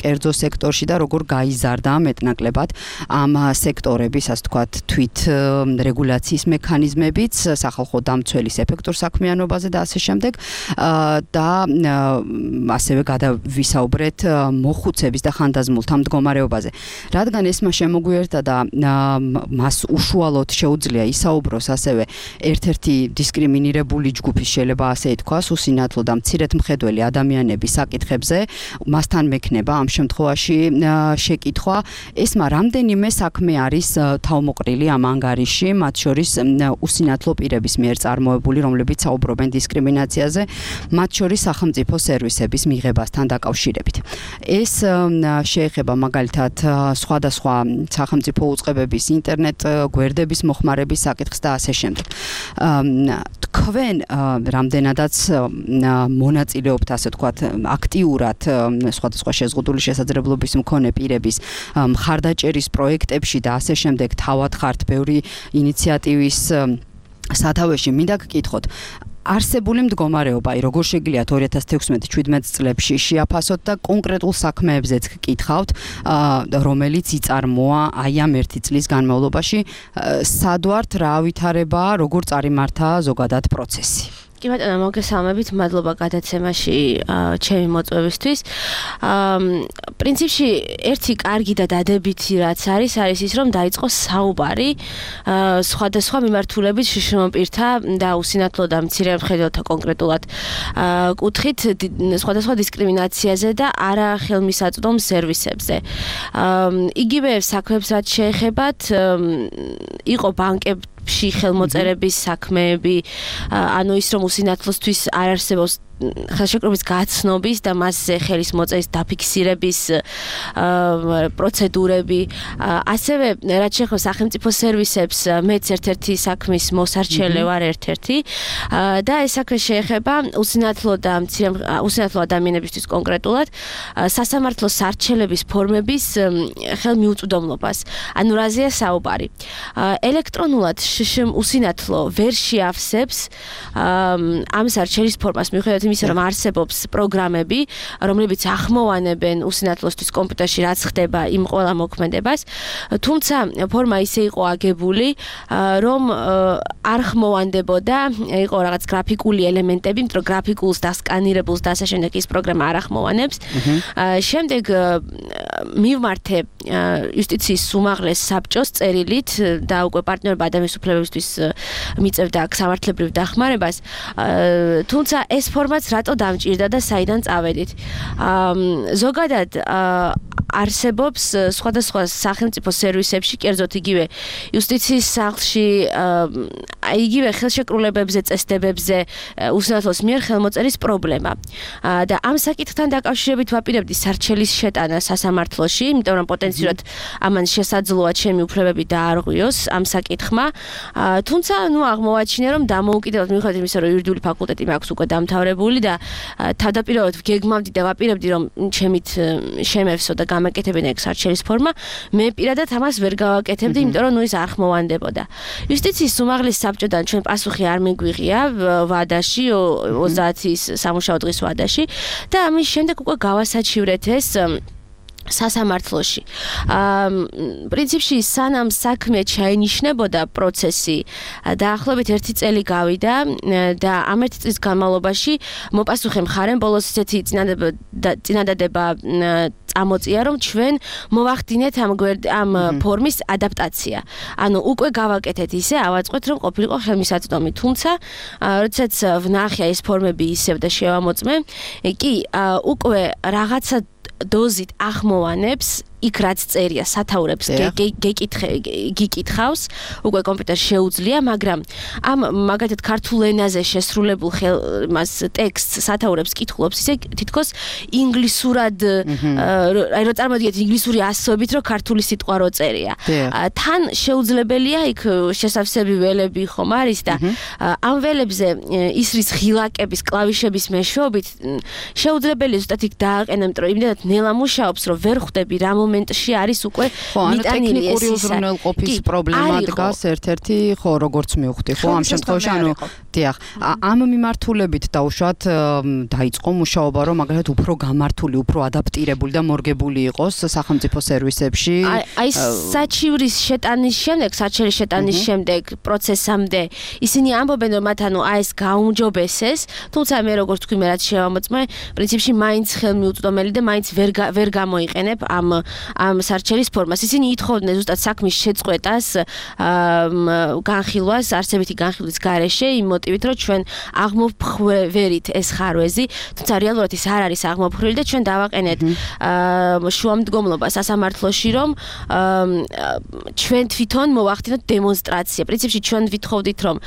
B: კერძო სექტორში და როგორ გაიზარდა მეტნაკლებად ამ სექტორების, ასე ვთქვათ, თვით რეგულაციის მექანიზმებიც, სახალხო დამცველის ეფექტურ საქმიანობაზე და ასე შემდეგ და ასევე გადავისაუბრეთ მოხუცების და ხანდაზმულთა მდგომარეობაზე. რადგან ესმა შემოგვიერთდა და მას უშუალოდ შეუძლია ისაუბროს ასევე ერთ-ერთი დისკრიმინირებული ჯგუფის, შეიძლება ასე ითქვას, უსინათლო და მცირედმხედველი ადამიანების საკითხებზე, მასთან მექნება ამ შემთხვევაში შეკითხვა. ესმა რამდენიმე საქმე არის თავმოყრილი ამ ანგარიში, მათ შორის უსინათლო პირების მიერ წარმოებული, რომლებიც საუბრობენ დისკრიმინაციაზე, მათ შორის სახელმწიფო სერვისების მიღებასთან დაკავშირებით. ეს შეეხება მაგალითად სხვადასხვა სახელმწიფო უწყებების, ინტერნეტ გვერდების მოხმარების საკითხს და ასე შემდეგ. თქვენ რამდენადაც მონაწილეობთ, ასე ვთქვათ, აქტიურად სხვადასხვა შეზღუდული შესაძლებლობის მქონე პირების მხარდაჭერის პროექტებში და ასე შემდეგ, თავად ხართ ბევრი ინიციატივის სათავეში. მინდა გკითხოთ, არსებული მდგომარეობა, როგორ შეგიძლიათ 2016-17 წლებში შეაფასოთ და კონკრეტულ საქმეებზეც გკითხავთ, რომელიც იწარმოა აი ამ ერთი წლის განმავლობაში, სად ვართ, რა ვითარება, როგორ წარიმართა ზოგადად პროცესი?
L: კი ბატონო, მოგესალმებით, მადლობა გადაცემაში ჩემი მოწვევისთვის. პრინციპში ერთი კარგი და დადებითი რაც არის ის, რომ დაიწყო საუბარი სხვადასხვა მიმართულებით შიშრომო პირთა და უსინათლო და მცირემხედველთა კონკრეტულად კუთხით სხვადასხვა დისკრიმინაციაზე და არა ხელმისაწვდომ სერვისებზე. იგივე საქმეებს რაც შეეხებათ, იყო ბანკებში ხელმოწერების საქმეები, ანუ ის რომ უსინათლოსთვის არ არსებობს ხელშეკრულების გაცნობის და მასზე ხელის მოწერის დაფიქსირების პროცედურები, ასევე რაც შეეხება სახელმწიფო სერვისებს, მეც ერთ-ერთი საქმის მოსარჩელე ვარ ერთ-ერთი და ეს საქმე შეეხება უსინათლო ადამიანებისთვის კონკრეტულად სასამართლოს სარჩელების ფორმების ხელმიუწვდომლობას. ანუ რაზეა საუბარი? ელექტრონულად უსინათლო ვერ შეავსებს ამ სარჩელის ფორმას, მიუხედავად იმისა, რომ არსებობს პროგრამები, რომლებიც ახმოვანებენ უსინათლოსთვის კომპიუტერში რაც ხდება იმ ყველა მოქმედებას, თუმცა ფორმა ისე იყო აგებული, რომ არ ხმოვანდებოდა, იყო რაღაც გრაფიკული ელემენტები, იმიტომ რომ გრაფიკულს და სკანირებულს და ასე შემდეგ ის პროგრამა არ ახმოვანებს. შემდეგ მივმართე იუსტიციის უმაღლეს საბჭოს წერილით და უკვე პარტნიორობა ადამიანის უფლებებისთვის მიწევდა სამართლებრივ დახმარებას, თუმცა ეს ფორმაც რატო დამჭირდა და საიდან წავედით? ზოგადად არსებობს სხვადასხვა სახელმწიფო სერვისებში, კერძოდ იგივე იუსტიციის სახლში, იგივე ხელშეკრულებებზე, წესდებებზე უსინათლოს მიერ ხელმოწერის პრობლემა. და ამ საკითხთან დაკავშირებით ვაპირებდი სარჩელის შეტანა სასამართლოში, იმიტომ რომ პოტენციურად ამან შესაძლოა ჩემი უფლებები დაარღვიოს ამ საკითხმა. თუმცა, აღმოვაჩინე, რომ დამოუკიდებლად მიუხედავად იმისა, რომ იურიდიული ფაკულტეტი მაქვს უკვე დამთავრებული და თავდაპირველად გეგმავდი და ვაპირებდი, რომ ჩემით შემევსო და გამაკეთებინა ეგ სარჩელის ფორმა, მე პირადად ამას ვერ გავაკეთებდი, იმიტომ რომ ის არ ხმოვანდებოდა. იუსტიციის უმაღლეს საბჭოდან ჩვენ პასუხი არ მიგვიღია ვადაში, 30-ის სამუშაო დღის ვადაში და ამის შემდეგ უკვე გავასაჩივრეთ ეს სასამართლოში. პრინციპში სანამ საქმე ჩაინიშნებოდა პროცესი, დაახლოებით 1 წელი გავიდა და ამ 1 წლის განმავლობაში მოპასუხე მხარემ ბოლოს ისეთი წინადადება წამოწია, რომ ჩვენ მოვახდინეთ ამ ფორმის ადაპტაცია. ანუ უკვე გავაკეთეთ ისე, ავაწყოთ, რომ ყოფილიყო ხელმისაწვდომი. თუმცა, როდესაც ვნახე ეს ფორმები ისევ და შევამოწმე, კი უკვე რაღაცა დოზით ახმოვანებს იქ რაც წერია სათაურებს გიკითხავს, უკვე კომპიუტერს შეუძლია, მაგრამ ამ მაგალითად ქართულ ენაზე შესრულებულ მას ტექსტს სათაურებს კითხულობს, ისე თითქოს ინგლისურად, აი რო წარმოგიდგენთ ინგლისური ასოებით, რომ ქართული სიტყვა რო წერია. თან შეუძლებელია იქ შესავსები ველები ხომ არის და ამ ველებზე ის რის ღილაკების, კლავიშების მეშვეობით შეუძლებელია ზუსტად იქ დააყენო, იმიტომ რომ იმდენად ნელა მუშაობს, რომ ვერ ხვდები რა მომენტში არის უკვე მიტანილი ეს
B: ტექნიკური უზრუნველყოფის პრობლემა დგას ერთ-ერთი, ხო, როგორც მივხვდი, ხო, ამ შემთხვევაში, ანუ დიახ, ამ მიმართულებით დაუშვათ დაიწყო მუშაობა, რომ მაგალითად უფრო გამართული, უფრო ადაპტირებული და მორგებული იყოს სახელმწიფო სერვისებში.
L: აი საჩივრის შეტანის შემდეგ, საჩივრის შეტანის შემდეგ პროცესამდე ისინი ამბობენ, რომ მათ ანუ აი ეს გაუმჯობესეს, თუმცა მე როგორც თქვი, მე რაც შევამოწმე, პრინციპში მაინც ხელმიუწვდომელი და მაინც ვერ გამოიყენებ ამ სარჩელის ფორმას. ისინი ითხოვდნენ ზუსტად საქმის შეწყვეტას, განხილვას, არსებითი განხილვის გარეშე, იმ მოტივით, რომ ჩვენ აღმოფხვევერით ეს ხარვეზი, თუმცა რეალურად ის არ არის აღმოფხვევრი და ჩვენ დავაყენეთ შუამდგომლობა სასამართლოში, რომ ჩვენ თვითონ მოვახდინოთ დემონსტრაცია. პრინციპში ჩვენ ვითხოვდით, რომ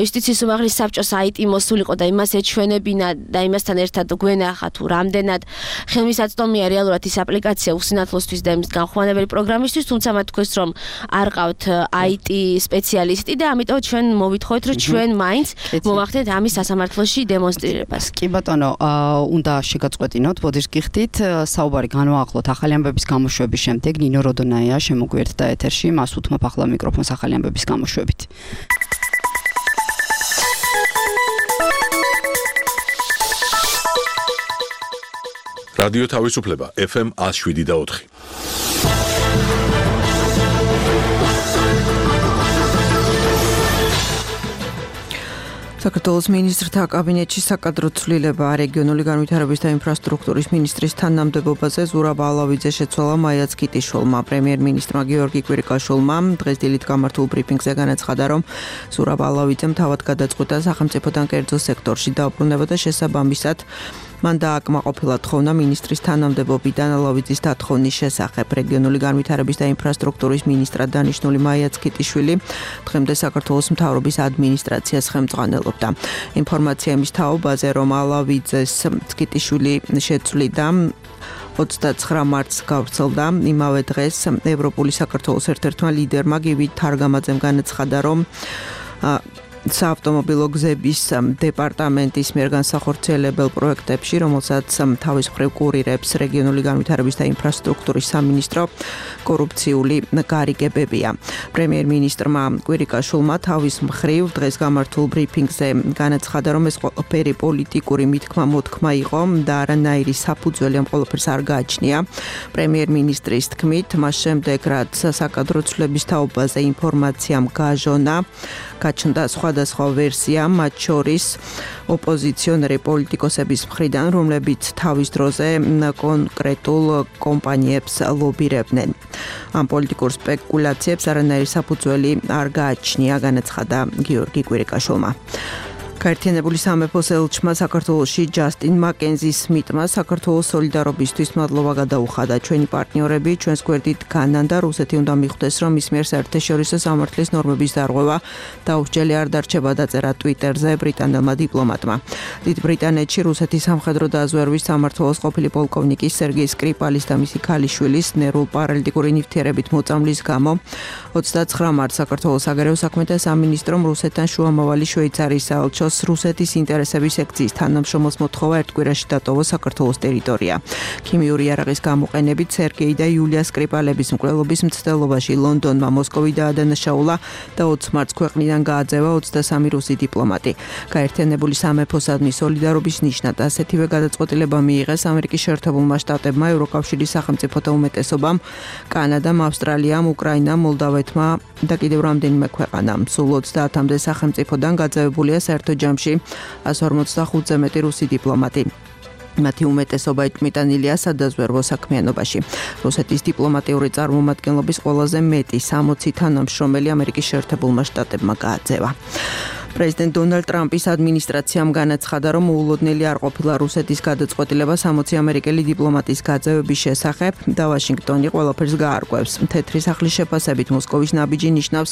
L: იუსტიციის უმაღლესი საბჭოს IT მოსულიყო და იმას ეჩვენებინა და იმასთან ერთად გვენახა თუ რამდენად ხელმისაწვდომია რეალურად ის აპლიკაცია უსინათლოსთვის და იმის განხორციელებელი პროგრამისთვის, თუმცა მათ თქვეს, რომ არ ყავთ IT სპეციალისტი და ამიტომ ჩვენ მოვითხოვეთ, რომ ჩვენ მაინც მოვახდენთ ამის სასამართლოში დემონსტრირებას.
B: კი ბატონო, უნდა შეგაწყვეტინოთ, ბოდიშ გიხდით, საუბარი განვაახლოთ ახალი ამბების გამოშვების შემდეგ. ნინო როდონაია შემოგვიერთდა ეთერში, მას უთმობ ახლა მიკროფონს ახალი ამბების გამოშვებით.
A: რადიო თავისუფლება FM 107.4.
M: საქართველოს მინისტრთა კაბინეტში საკადრო ცვლილება რეგიონული განვითარების და ინფრასტრუქტურის მინისტრის თანამდებობაზე ზურაბ ალავიძე შეცვალა მაიაც კიტიშვილმა. პრემიერ-მინისტრმა გიორგი კვირიკაშვილმა დღეს დილით გამართულ ბრიფინგზე განაცხადა, რომ ზურაბ ალავიძემ თავად გადაწყვიტა სახელმწიფოდან კერძო სექტორში დაუბრუნება და შესაბამისად მან დააკმაყოფილა თხოვნა მინისტრის თანამდებობიდან ალავიძის დათხოვნის შესახებ. რეგიონული განვითარების და ინფრასტრუქტურის მინისტრად დანიშნული მაიაც კიტიშვილი დღემდე საქართველოს მთავრობის ადმინისტრაციას ხელმძღვანელობდა. ინფორმაცია იმის თაობაზე, რომ ალავიძეს კიტიშვილი შეცვლიდა 29 მარტს გავრცელდა. იმავე დღეს ევროპული საქართველოს ერთ-ერთმა ლიდერმა გივი თარგამაძემ განაცხადა, რომ საავტომობილო გზების დეპარტამენტის მიერ განსახორციელებელ პროექტებში, რომელსაც თავის მხრივ კურირებს რეგიონული განვითარების და ინფრასტრუქტურის სამინისტრო, კორუფციული გარიგებებია. პრემიერ-მინისტრმა კვირიკაშვილმა თავის მხრივ დღეს გამართულ ბრიფინგზე განაცხადა, რომ ეს ყველაფერი პოლიტიკური მითქმა-მოთქმა იყო და არანაირი საფუძველი ამ ყველაფერს არ გააჩნია. პრემიერ-მინისტრის თქმით, მას შემდეგ რაც საკადრო ცვლილების თაობაზე ინფორმაციამ გაჟონა, გაჩნდა სხვადასხვა ვერსია, მათ შორის ოპოზიციონერი პოლიტიკოსების მხრიდან, რომლებიც თავის დროზე კონკრეტულ კომპანიებს ლობირებდნენ. ამ პოლიტიკურ სპეკულაციებს არანაირი საფუძველი არ გააჩნია, განაცხადა გიორგი კვირიკაშვილმა. გაერთიანებული სამეფოს ელჩმა საქართველოში ჯასტინ მაკენზის მიტმა საქართველოს სოლიდარობისთვის მადლობა გადაუხადა. ჩვენი პარტნიორები ჩვენს გვერდით განან და რუსეთი უნდა მიხვდეს, რომ ის მიერ საერთაშორისო სამართლის ნორმების დარღვევა დაუსჯელი არ დარჩება, დაწერა ტვიტერზე ბრიტანელმა დიპლომატმა. დიდ ბრიტანეთში რუსეთის სამხედრო დაზვერვის სამმართველოს ყოფილი პოლკოვნიკი სერგეი სკრიპალის და მისი ქალიშვილის ნერვულ-პარალიტიკური ნივთიერებით მოწამვლის გამო 29 მარტს საქართველოს საგარეო საქმეთა სამინისტრომ რუსეთთან შუამავალი შვეიცარიის საელჩოს რუსეთის ინტერესების სექციის თანამშრომელს მოთხოვა ერთ კვირაში დატოვოს საქართველოს ტერიტორია. ქიმიური იარაღის გამოყენებით სერგეი და იულია სკრიპალების მკვლელობის მცდელობაში ლონდონმა მოსკოვი დაადანაშაულა და 20 მარტს ქვეყნიდან გააძევა 23 რუსი დიპლომატი. გაერთიანებული სამეფოსადმი სოლიდარობის ნიშნად ასეთივე გადაწყვეტილება მიიღეს ამერიკის შეერთებულმა შტატებმა, ევროკავშირის სახელმწიფოთა უმეტესობამ, კანადამ, ავსტრალიამ, უკრაინამ, მოლდავეთმა და კიდევ რამდენიმე ქვეყანამ. სულ 30-მდე სახელმწიფოდან გაძევებულია საერთო ჯამში 145-ზე მეტი რუსი დიპლომატი. მათი უმეტესობა იწმიტანილია სადაზვერვო საქმიანობაში. რუსეთის დიპლომატიური წარმომადგენლობის ყველაზე მეტი 60 თანამშრომელი ამერიკის შეერთებულმა შტატებმა გააძევა. პრეზიდენტ დონალდ ტრამპის ადმინისტრაციამ განაცხადა, რომ მოულოდნელი არ ყოფილა რუსეთის გადაწყვეტილება 60 ამერიკელი დიპლომატის გაძევების შესახებ და ვაშინგტონი ყველაფერს გაარკვევს. თეთრი სახლის შეფასებით მოსკოვის ნაბიჯი ნიშნავს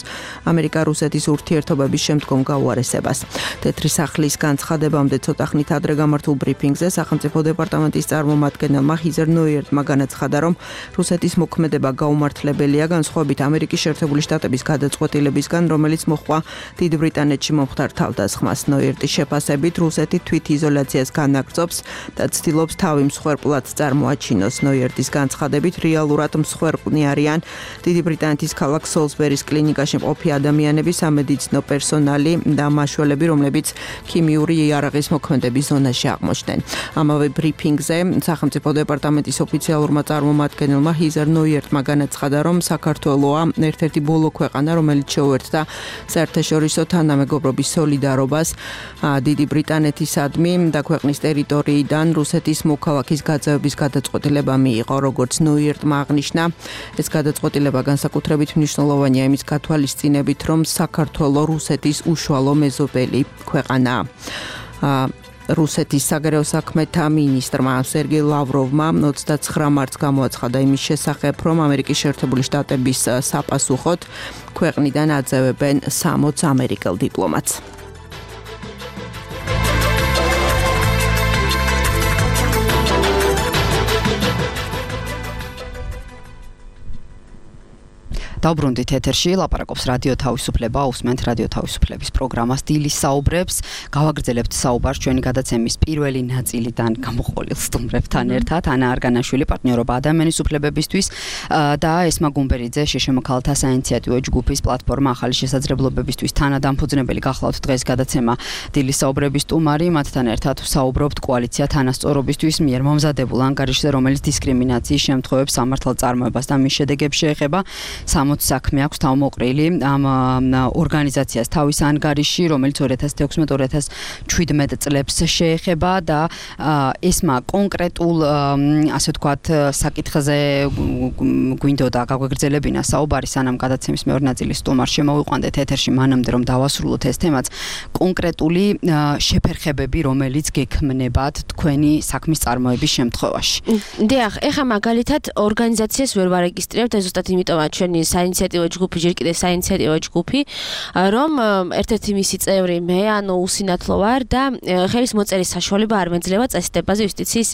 M: ამერიკა-რუსეთის ურთიერთობების შემდგომ გაუარესებას. თეთრი სახლის განცხადებამდე ცოტა ხნით ადრე გამართულ ბრიფინგზე სახელმწიფო დეპარტამენტის წარმომადგენელმა ჰიზერ ნოიერტმა განაცხადა, რომ რუსეთის მოქმედება გაუმართლებელია განსხვავებით ამერიკის შეერთებული შტატების გადაწყვეტილებისგან, რომელიც მოჰყვა დიდ ბრიტანეთში მომხდარ თავდასხმას. ნოიერტის შეფასებით რუსეთი თვითიზოლაციას განაგრძობს და ცდილობს თავი მსხვერპლად წარმოაჩინოს. ნოიერტის განცხადებით რეალურად მსხვერპლნი არიან დიდი ბრიტანეთის ქალაქ სოლსბერის კლინიკაში მყოფი ადამიანები, სამედიცინო პერსონალი და მაშველები, რომლებიც ქიმიური იარაღის მოქმედების ზონაში აღმოჩნდნენ. ამავე ბრიფინგზე სახელმწიფო დეპარტამენტის ოფიციალურმა წარმომადგენელმა ჰიზერ ნოიერტმა განაცხადა, რომ საქართველოა ერთ-ერთი ბოლო ქვეყანა, რომელიც შეუერთდა საერთაშორისო თანამეგობრობის სოლიდარობას დიდი ბრიტანეთისადმი და ქვეყნის ტერიტორიიდან რუსეთის მოქალაქის გაძევების გადაწყვეტილება მიიღო. როგორც ნოიერტმა აღნიშნა, ეს გადაწყვეტილება განსაკუთრებით მნიშვნელოვანია იმის გათვალისწინებით, რომ საქართველო რუსეთის უშუალო მეზობელი ქვეყანაა. რუსეთის საგარეო საქმეთა მინისტრმა სერგეი ლავროვმა 29 მარტს გამოაცხადა იმის შესახებ, რომ ამერიკის შეერთებული შტატების საპასუხოდ ქვეყნიდან აძევებენ 60 ამერიკელ დიპლომატს.
B: დავბრუნდით ეთერში, ლაპარაკობს რადიო თავისუფლება, უსმენთ რადიო თავისუფლების პროგრამას დილის საუბრებს. გავაგრძელებთ საუბარს ჩვენი გადაცემის პირველი ნაწილიდან გამოყოლილ სტუმრებთან ერთად. ანა არგანაშვილი, პარტნიორობა ადამიანის უფლებებისთვის და ესმა გუმბერიძე, შშმ ქალთა საინიციატივო ჯგუფის პლატფორმა ახალი შესაძლებლობებისთვის თანადამფუძნებელი. გახლავთ დღეს გადაცემა დილის საუბრების სტუმარი, მათთან ერთად ვსაუბრობთ კოალიცია თანასწორობისთვის მიერ მომზადებულ ანგარიშზე, რომელიც დისკრიმინაციის შემთხვევებს სამართალწარმოებას და მის შედეგებს შეეხება. 60 საქმე აქვს თავმოყრილი ამ ორგანიზაციას თავის ანგარიში, რომელიც 2016-2017 წლებს შეეხება და ესმა კონკრეტულ, ასე ვთქვათ, საკითხზე გვინდოდა გაგვეგრძელებინა საუბარი, სანამ გადაცემის მეორე ნაწილის სტუმარს შემოვიყვანდეთ ეთერში, მანამდე რომ დავასრულოთ ეს თემაც, კონკრეტული შეფერხებები, რომელიც გექმნებათ თქვენი საქმის წარმოების შემთხვევაში.
L: დიახ, ეხლა მაგალითად ორგანიზაციას ვერ ვარეგისტრირებთ, ეს ზუსტად იმიტომაა ჩვენი საინიციატივო ჯგუფი, ჯერ კიდევ საინიციატივო ჯგუფი, რომ ერთ-ერთი მისი წევრი მე, ანუ უსინათლო ვარ და ხელის მოწერის საშუალება არ მეძლევა წესდებაზე იუსტიციის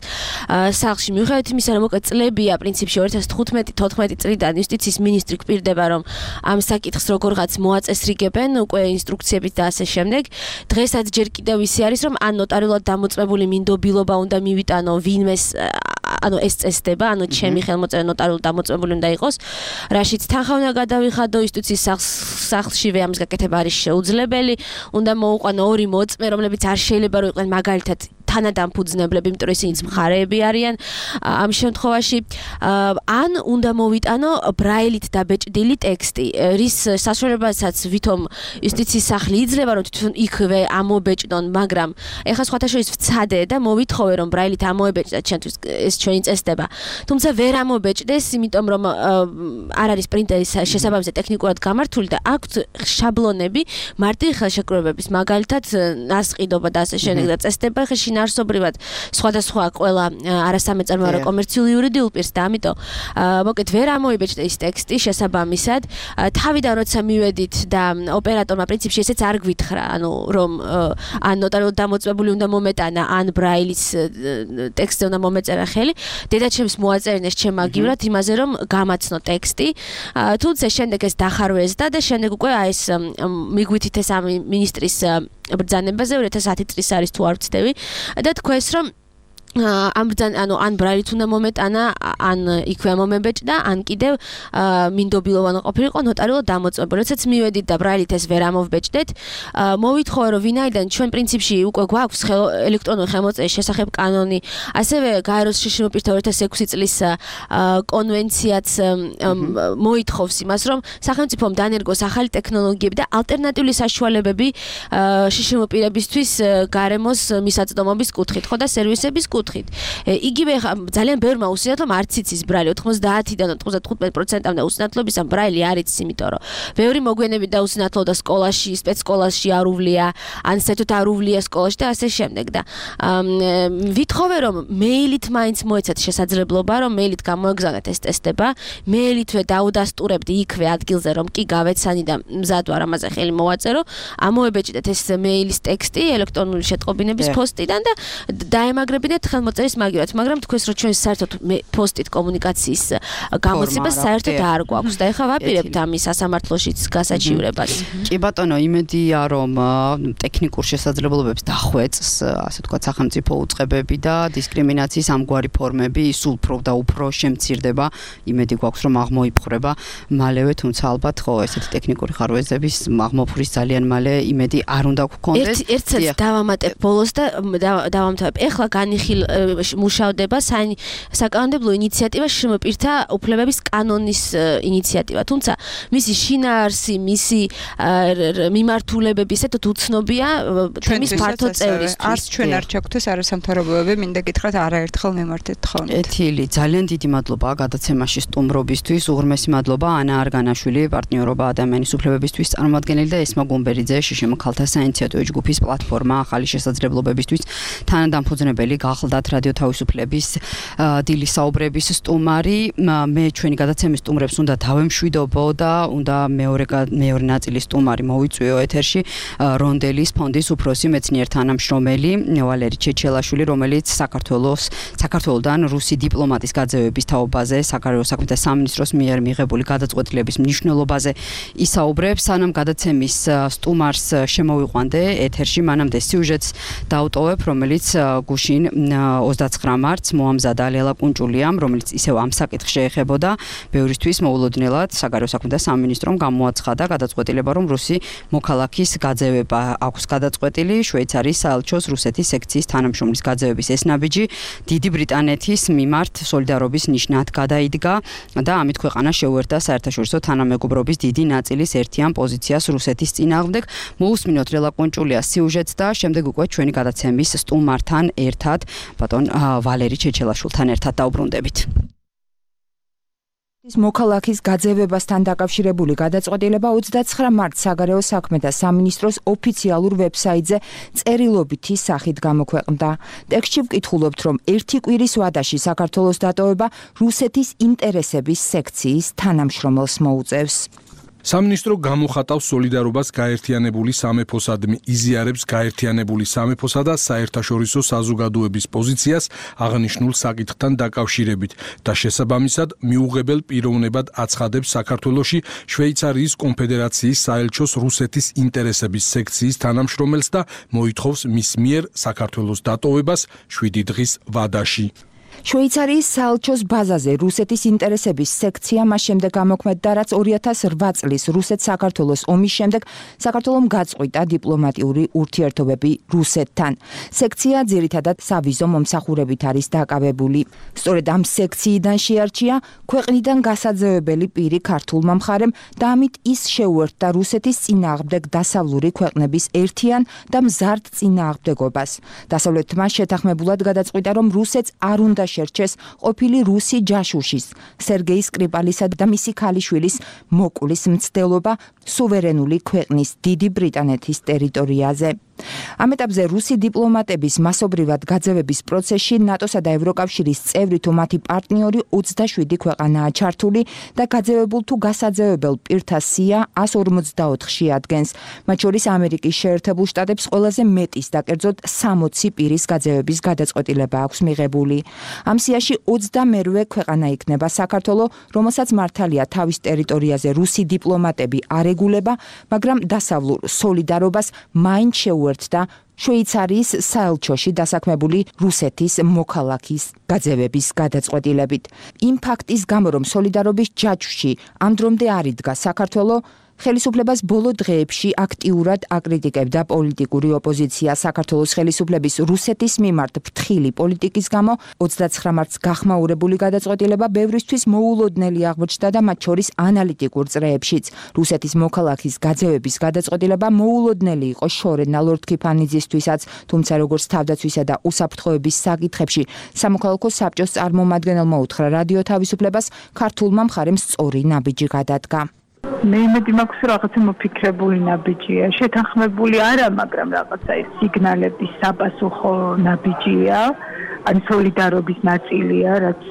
L: სახლში. მიუხედავად იმისა, რომ უკვე წლებია პრინციპში 2015-14 წლიდან იუსტიციის მინისტრი გვპირდება, რომ ამ საკითხს როგორღაც მოაწესრიგებენ, უკვე ინსტრუქციებით და ასე შემდეგ. დღესაც ჯერ კიდევ ისი არის, რომ ან ნოტარიულად დამოწმებული მინდობილობა უნდა მივიტანო ვინმეს, ანუ ეს წესდება, ანუ ჩემი ხელმოწერა ნოტარიულად დამოწმებული უნდა იყოს, რაშიც თანხა უნდა გადავიხადო იუსტიციის სახლშივე, ამის გაკეთება არის შეუძლებელი, უნდა მოუყვანო ორი მოწმე, რომლებიც არ შეიძლება რომ იყვნენ მაგალითად თანადამფუძნებლები, იმიტომ რომ ისინიც მხარეები არიან ამ შემთხვევაში, ან უნდა მოვიტანო ბრაილით დაბეჭდილი ტექსტი, რის საშუალებასაც ვითომ იუსტიციის სახლი იძლევა, რომ თვითონ იქვე ამობეჭდონ, მაგრამ ეხლა სხვათა შორის ვცადე და მოვითხოვე, რომ ბრაილით ამოებეჭდათ ჩვენთვის ეს ჩვენი წესდება. თუმცა ვერ ამობეჭდეს, იმიტომ რომ არ არის პრინტერის შესაბამისად ტექნიკურად გამართული და აქვთ შაბლონები მარტივი ხელშეკრულებების, მაგალითად ნასყიდობა და ასე შემდეგ და წესდება შინაარსობრივად სხვადასხვა ყველა არასამეწარმოო კომერციული იურიდიულ პირს და ამიტომ მოკლედ ვერ ამოიბეჭდა ის ტექსტი შესაბამისად. თავიდან როცა მივედით და ოპერატორმა პრინციპში ესეც არ გვითხრა, ანუ რომ ან ნოტარიულად დამოწმებული უნდა მომეტანა, ან ბრაილის ტექსტზე უნდა მომეწერა ხელი. დედაჩემს მოაწერინეს ჩემაგივრად იმაზე, რომ გამაცნო ტექსტი. თუმცა შემდეგ ეს დახარვეზდა და შემდეგ უკვე ეს მიგვითითეს ამ მინისტრის ბრძანებაზე 2010 წლის არის თუ არ ვცდები და თქვენს რომ ან ბრაილით უნდა მომეტანა, ან იქვე მომებეჭდა, ან კიდევ მინდობილოვანი ყოფილიყო ნოტარიულად დამოწმებული. როდესაც მივედით და ბრაილით ეს ვერ ამოვბეჭდეთ, მოვითხოვე რომ ვინაიდან ჩვენ პრინციპში უკვე გვაქვს ელექტრონული ხელმოწერის შესახებ კანონი, ასევე გაეროს შშმ პირთა 2006 წლის კონვენციაც მოითხოვს იმას, რომ სახელმწიფომ დანერგოს ახალი ტექნოლოგიები და ალტერნატიული საშუალებები შშმ პირებისთვის გარემოს მისაწვდომობის კუთხით, ხო და სერვისების კუთხით. კუთხით. იგივე ძალიან ბევრმა უსინათლო არც იცის ბრალი 90-დან 95%-მდე უსინათლობის ამ ბრალი არ იცის, იმიტომ რომ ბევრი მოგვიანებით დაუსინათლო და სკოლაში, სპეცსკოლაში არ უვლია, ან საერთოდ არ უვლია სკოლაში და ასე შემდეგ და ვითხოვე რომ მეილით მაინც მოეცათ შესაძლებლობა რომ მეილით გამოეგზავნეთ ეს ტესტება, მეილითვე დაუდასტურებდი იქვე ადგილზე რომ კი გავეცანი და მზად ვარ ამაზე ხელი მოვაწერო, ამოებეჭდეთ ეს მეილის ტექსტი ელექტრონული შეტყობინების პოსტიდან და დაემაგრებინეთ ხელმოწერის მაგივრად, მაგრამ თქვენს რომ ჩვენ საერთოდ პოსტით კომუნიკაციის გამოცება საერთოდ არ გვაქვს და ეხლა ვაპირებთ ამის სასამართლოშიც გასაჩივრებას.
B: კი ბატონო, იმედია რომ ტექნიკურ შესაძლებლობებს დახვეწს, ასე ვთქვათ, სახელმწიფო უწყებები და დისკრიმინაციის ამგვარი ფორმები სულ უფრო და უფრო შემცირდება. იმედი გვაქვს რომ აღმოიფხვრება მალევე, თუმცა ალბათ ხო ესეთი ტექნიკური ხარვეზების აღმოფხვრვის ძალიან მალე იმედი არ უნდა გქონდეს.
L: ერთსაც დავამატებ ბოლოს და დავამთავრებ. ეხლა განიხილ მუშავდება საკანონმდებლო ინიციატივა შემოპირთა უფლებების კანონის ინიციატივა, თუმცა მისი შინაარსი, მისი მიმართულებები ესეთ უცნობია თემის ფართო წევრისთვის.
G: არც ჩვენ არ ჩაგვთეს არასამთავრობოები, მინდა გითხრათ არაერთხელ მიმართეთ თხოვნით.
B: ეთილი, ძალიან დიდი მადლობა გადაცემაში სტუმრობისთვის, უღრმესი მადლობა ანა არგანაშვილი, პარტნიორობა ადამიანის უფლებებისთვის წარმომადგენელი და ესმა გუმბერიძე, შშმ ქალთა საინიციატივო ჯგუფის პლატფორმა ახალი შესაძლებლობებისთვის თანადამფუძნებელი, გახლდათ რადიო თავისუფლების დილის საუბრების სტუმარი. მე ჩვენი გადაცემის სტუმრებს უნდა დავემშვიდობო და უნდა მეორე ნაწილის სტუმარი მოვიწვიო ეთერში, რონდელის ფონდის უფროსი მეცნიერ თანამშრომელი ვალერი ჩეჩელაშვილი, რომელიც საქართველოსდან რუსი დიპლომატის გაძევების თაობაზე საგარეო საქმეთა სამინისტროს მიერ მიღებული გადაწყვეტილების მნიშვნელობაზე ისაუბრებს. სანამ გადაცემის სტუმარს შემოვიყვანდე ეთერში, მანამდე სიუჟეტს დავტოვებ, რომელიც გუშინ 29 მარტს მოამზადა ლელა კუნჭულიამ, რომელიც ისევ ამ საკითხს შეეხებოდა. ბევრისთვის მოულოდნელად საგარეო საქმეთა სამინისტრომ გამოაცხადა გადაწყვეტილება, რომ რუსი მოქალაქის გაძევება აქვს გადაწყვეტილი. შვეიცარიის საელჩოს რუსეთის სექციის თანამშრომლის გაძევების ეს ნაბიჯი დიდი ბრიტანეთის მიმართ სოლიდარობის ნიშნად გადაიდგა და ამით ქვეყანა შეუერთდა საერთაშორისო თანამეგობრობის დიდი ნაწილის ერთიან პოზიციას რუსეთის წინააღმდეგ. მოусმინოთ ლელა კუნჭულიას სიუჟეტს და შემდეგ უკვე ჩვენი გადაცემის სტუმართან ერთად, ბატონ ვალერი ჩეჩელაშვილთან ერთად დაუბრუნდებით.
N: მოქალაქის გაძევებასთან დაკავშირებული გადაწყვეტილება 29 მარტს საგარეო საქმეთა სამინისტროს ოფიციალურ ვებსაიტზე წერილობითი სახით გამოქვეყნდა. ტექსტში ვკითხულობთ, რომ ერთი კვირის ვადაში საქართველოს დატოვება რუსეთის ინტერესების სექციის თანამშრომელს მოუწევს.
O: სამინისტრო გამოხატავს სოლიდარობას გაერთიანებული სამეფოსადმი, იზიარებს გაერთიანებული სამეფოსა და საერთაშორისო საზოგადოების პოზიციას აღნიშნულ საკითხთან დაკავშირებით და შესაბამისად მიუღებელ პიროვნებად აცხადებს საქართველოში შვეიცარიის კონფედერაციის საელჩოს რუსეთის ინტერესების სექციის თანამშრომელს და მოითხოვს მის მიერ საქართველოს დატოვებას 7 დღის ვადაში.
N: შვეიცარიის საელჩოს ბაზაზე რუსეთის ინტერესების სექცია მას შემდეგ გამოქმედდა, რაც 2008 წლის რუსეთ-საქართველოს ომის შემდეგ საქართველომ გაწყვიტა დიპლომატიური ურთიერთობები რუსეთთან. სექცია ძირითადად სავიზო მომსახურებით არის დაკავებული. სწორედ ამ სექციიდან შეარჩია ქვეყნიდან გასაძევებელი პირი ქართულმა მხარემ და ამით ის შეუერთდა რუსეთის წინააღმდეგ დასავლური ქვეყნების ერთიან და მზარდ წინააღმდეგობას. დასავლეთმა შეთანხმებულად გადაწყვიტა, რომ რუსეთს არ უნდა შერჩეს ყოფილი რუსი ჯაშუშის სერგეი სკრიპალისა და მისი ქალიშვილის მოკვლის მცდელობა სუვერენული ქვეყნის დიდი ბრიტანეთის ტერიტორიაზე. ამ ეტაპზე რუსი დიპლომატების მასობრივად გაძევების პროცესში ნატოსა და ევროკავშირის წევრი თუ მათი პარტნიორი 27 ქვეყანაა ჩართული და გაძევებულ თუ გასაძევებელ პირთა სია 154-ში ადგენს. მათ შორის ამერიკის შეერთებულ შტატებს ყველაზე მეტის და კერძოდ 60 პირის გაძევების გადაწყვეტილება აქვს მიღებული. ამ სიაში 28-ვე ქვეყანა იქნება საქართველო, რომელსაც მართალია თავის ტერიტორიაზე რუსი დიპლომატები არ ეგულება, მაგრამ დასავლურ სოლიდარობას მაინც შეუერთდა შვეიცარიის საელჩოში დასაქმებული რუსეთის მოქალაქის გაძევების გადაწყვეტილებით. იმ ფაქტის გამო, რომ სოლიდარობის ჯაჭვში ამ დრომდე არ იდგა საქართველო, ხელისუფლებას ბოლო დღეებში აქტიურად აკრიტიკებდა პოლიტიკური ოპოზიცია. საქართველოს ხელისუფლების რუსეთის მიმართ ფრთხილი პოლიტიკის გამო 29 მარტს გახმაურებული გადაწყვეტილება ბევრისთვის მოულოდნელი აღმოჩნდა და მათ შორის ანალიტიკურ წრეებშიც. რუსეთის მოქალაქის გაძევების გადაწყვეტილება მოულოდნელი იყო შორენა ლორდ-ქიფანიძისთვისაც, თუმცა როგორც თავდაცვისა და უსაფრთხოების საკითხებში სამოქალაქო საბჭოს წარმომადგენელმა უთხრა რადიო თავისუფლებას, ქართულმა მხარემ სწორი ნაბიჯი გადადგა.
P: მე იმედი მაქვს, რომ რაღაცა მოფიქრებული ნაბიჯია, შეთანხმებული არა, მაგრამ რაღაცა ეს სიგნალების საპასუხო ნაბიჯია, ან სოლიდარობის ნაწილია, რაც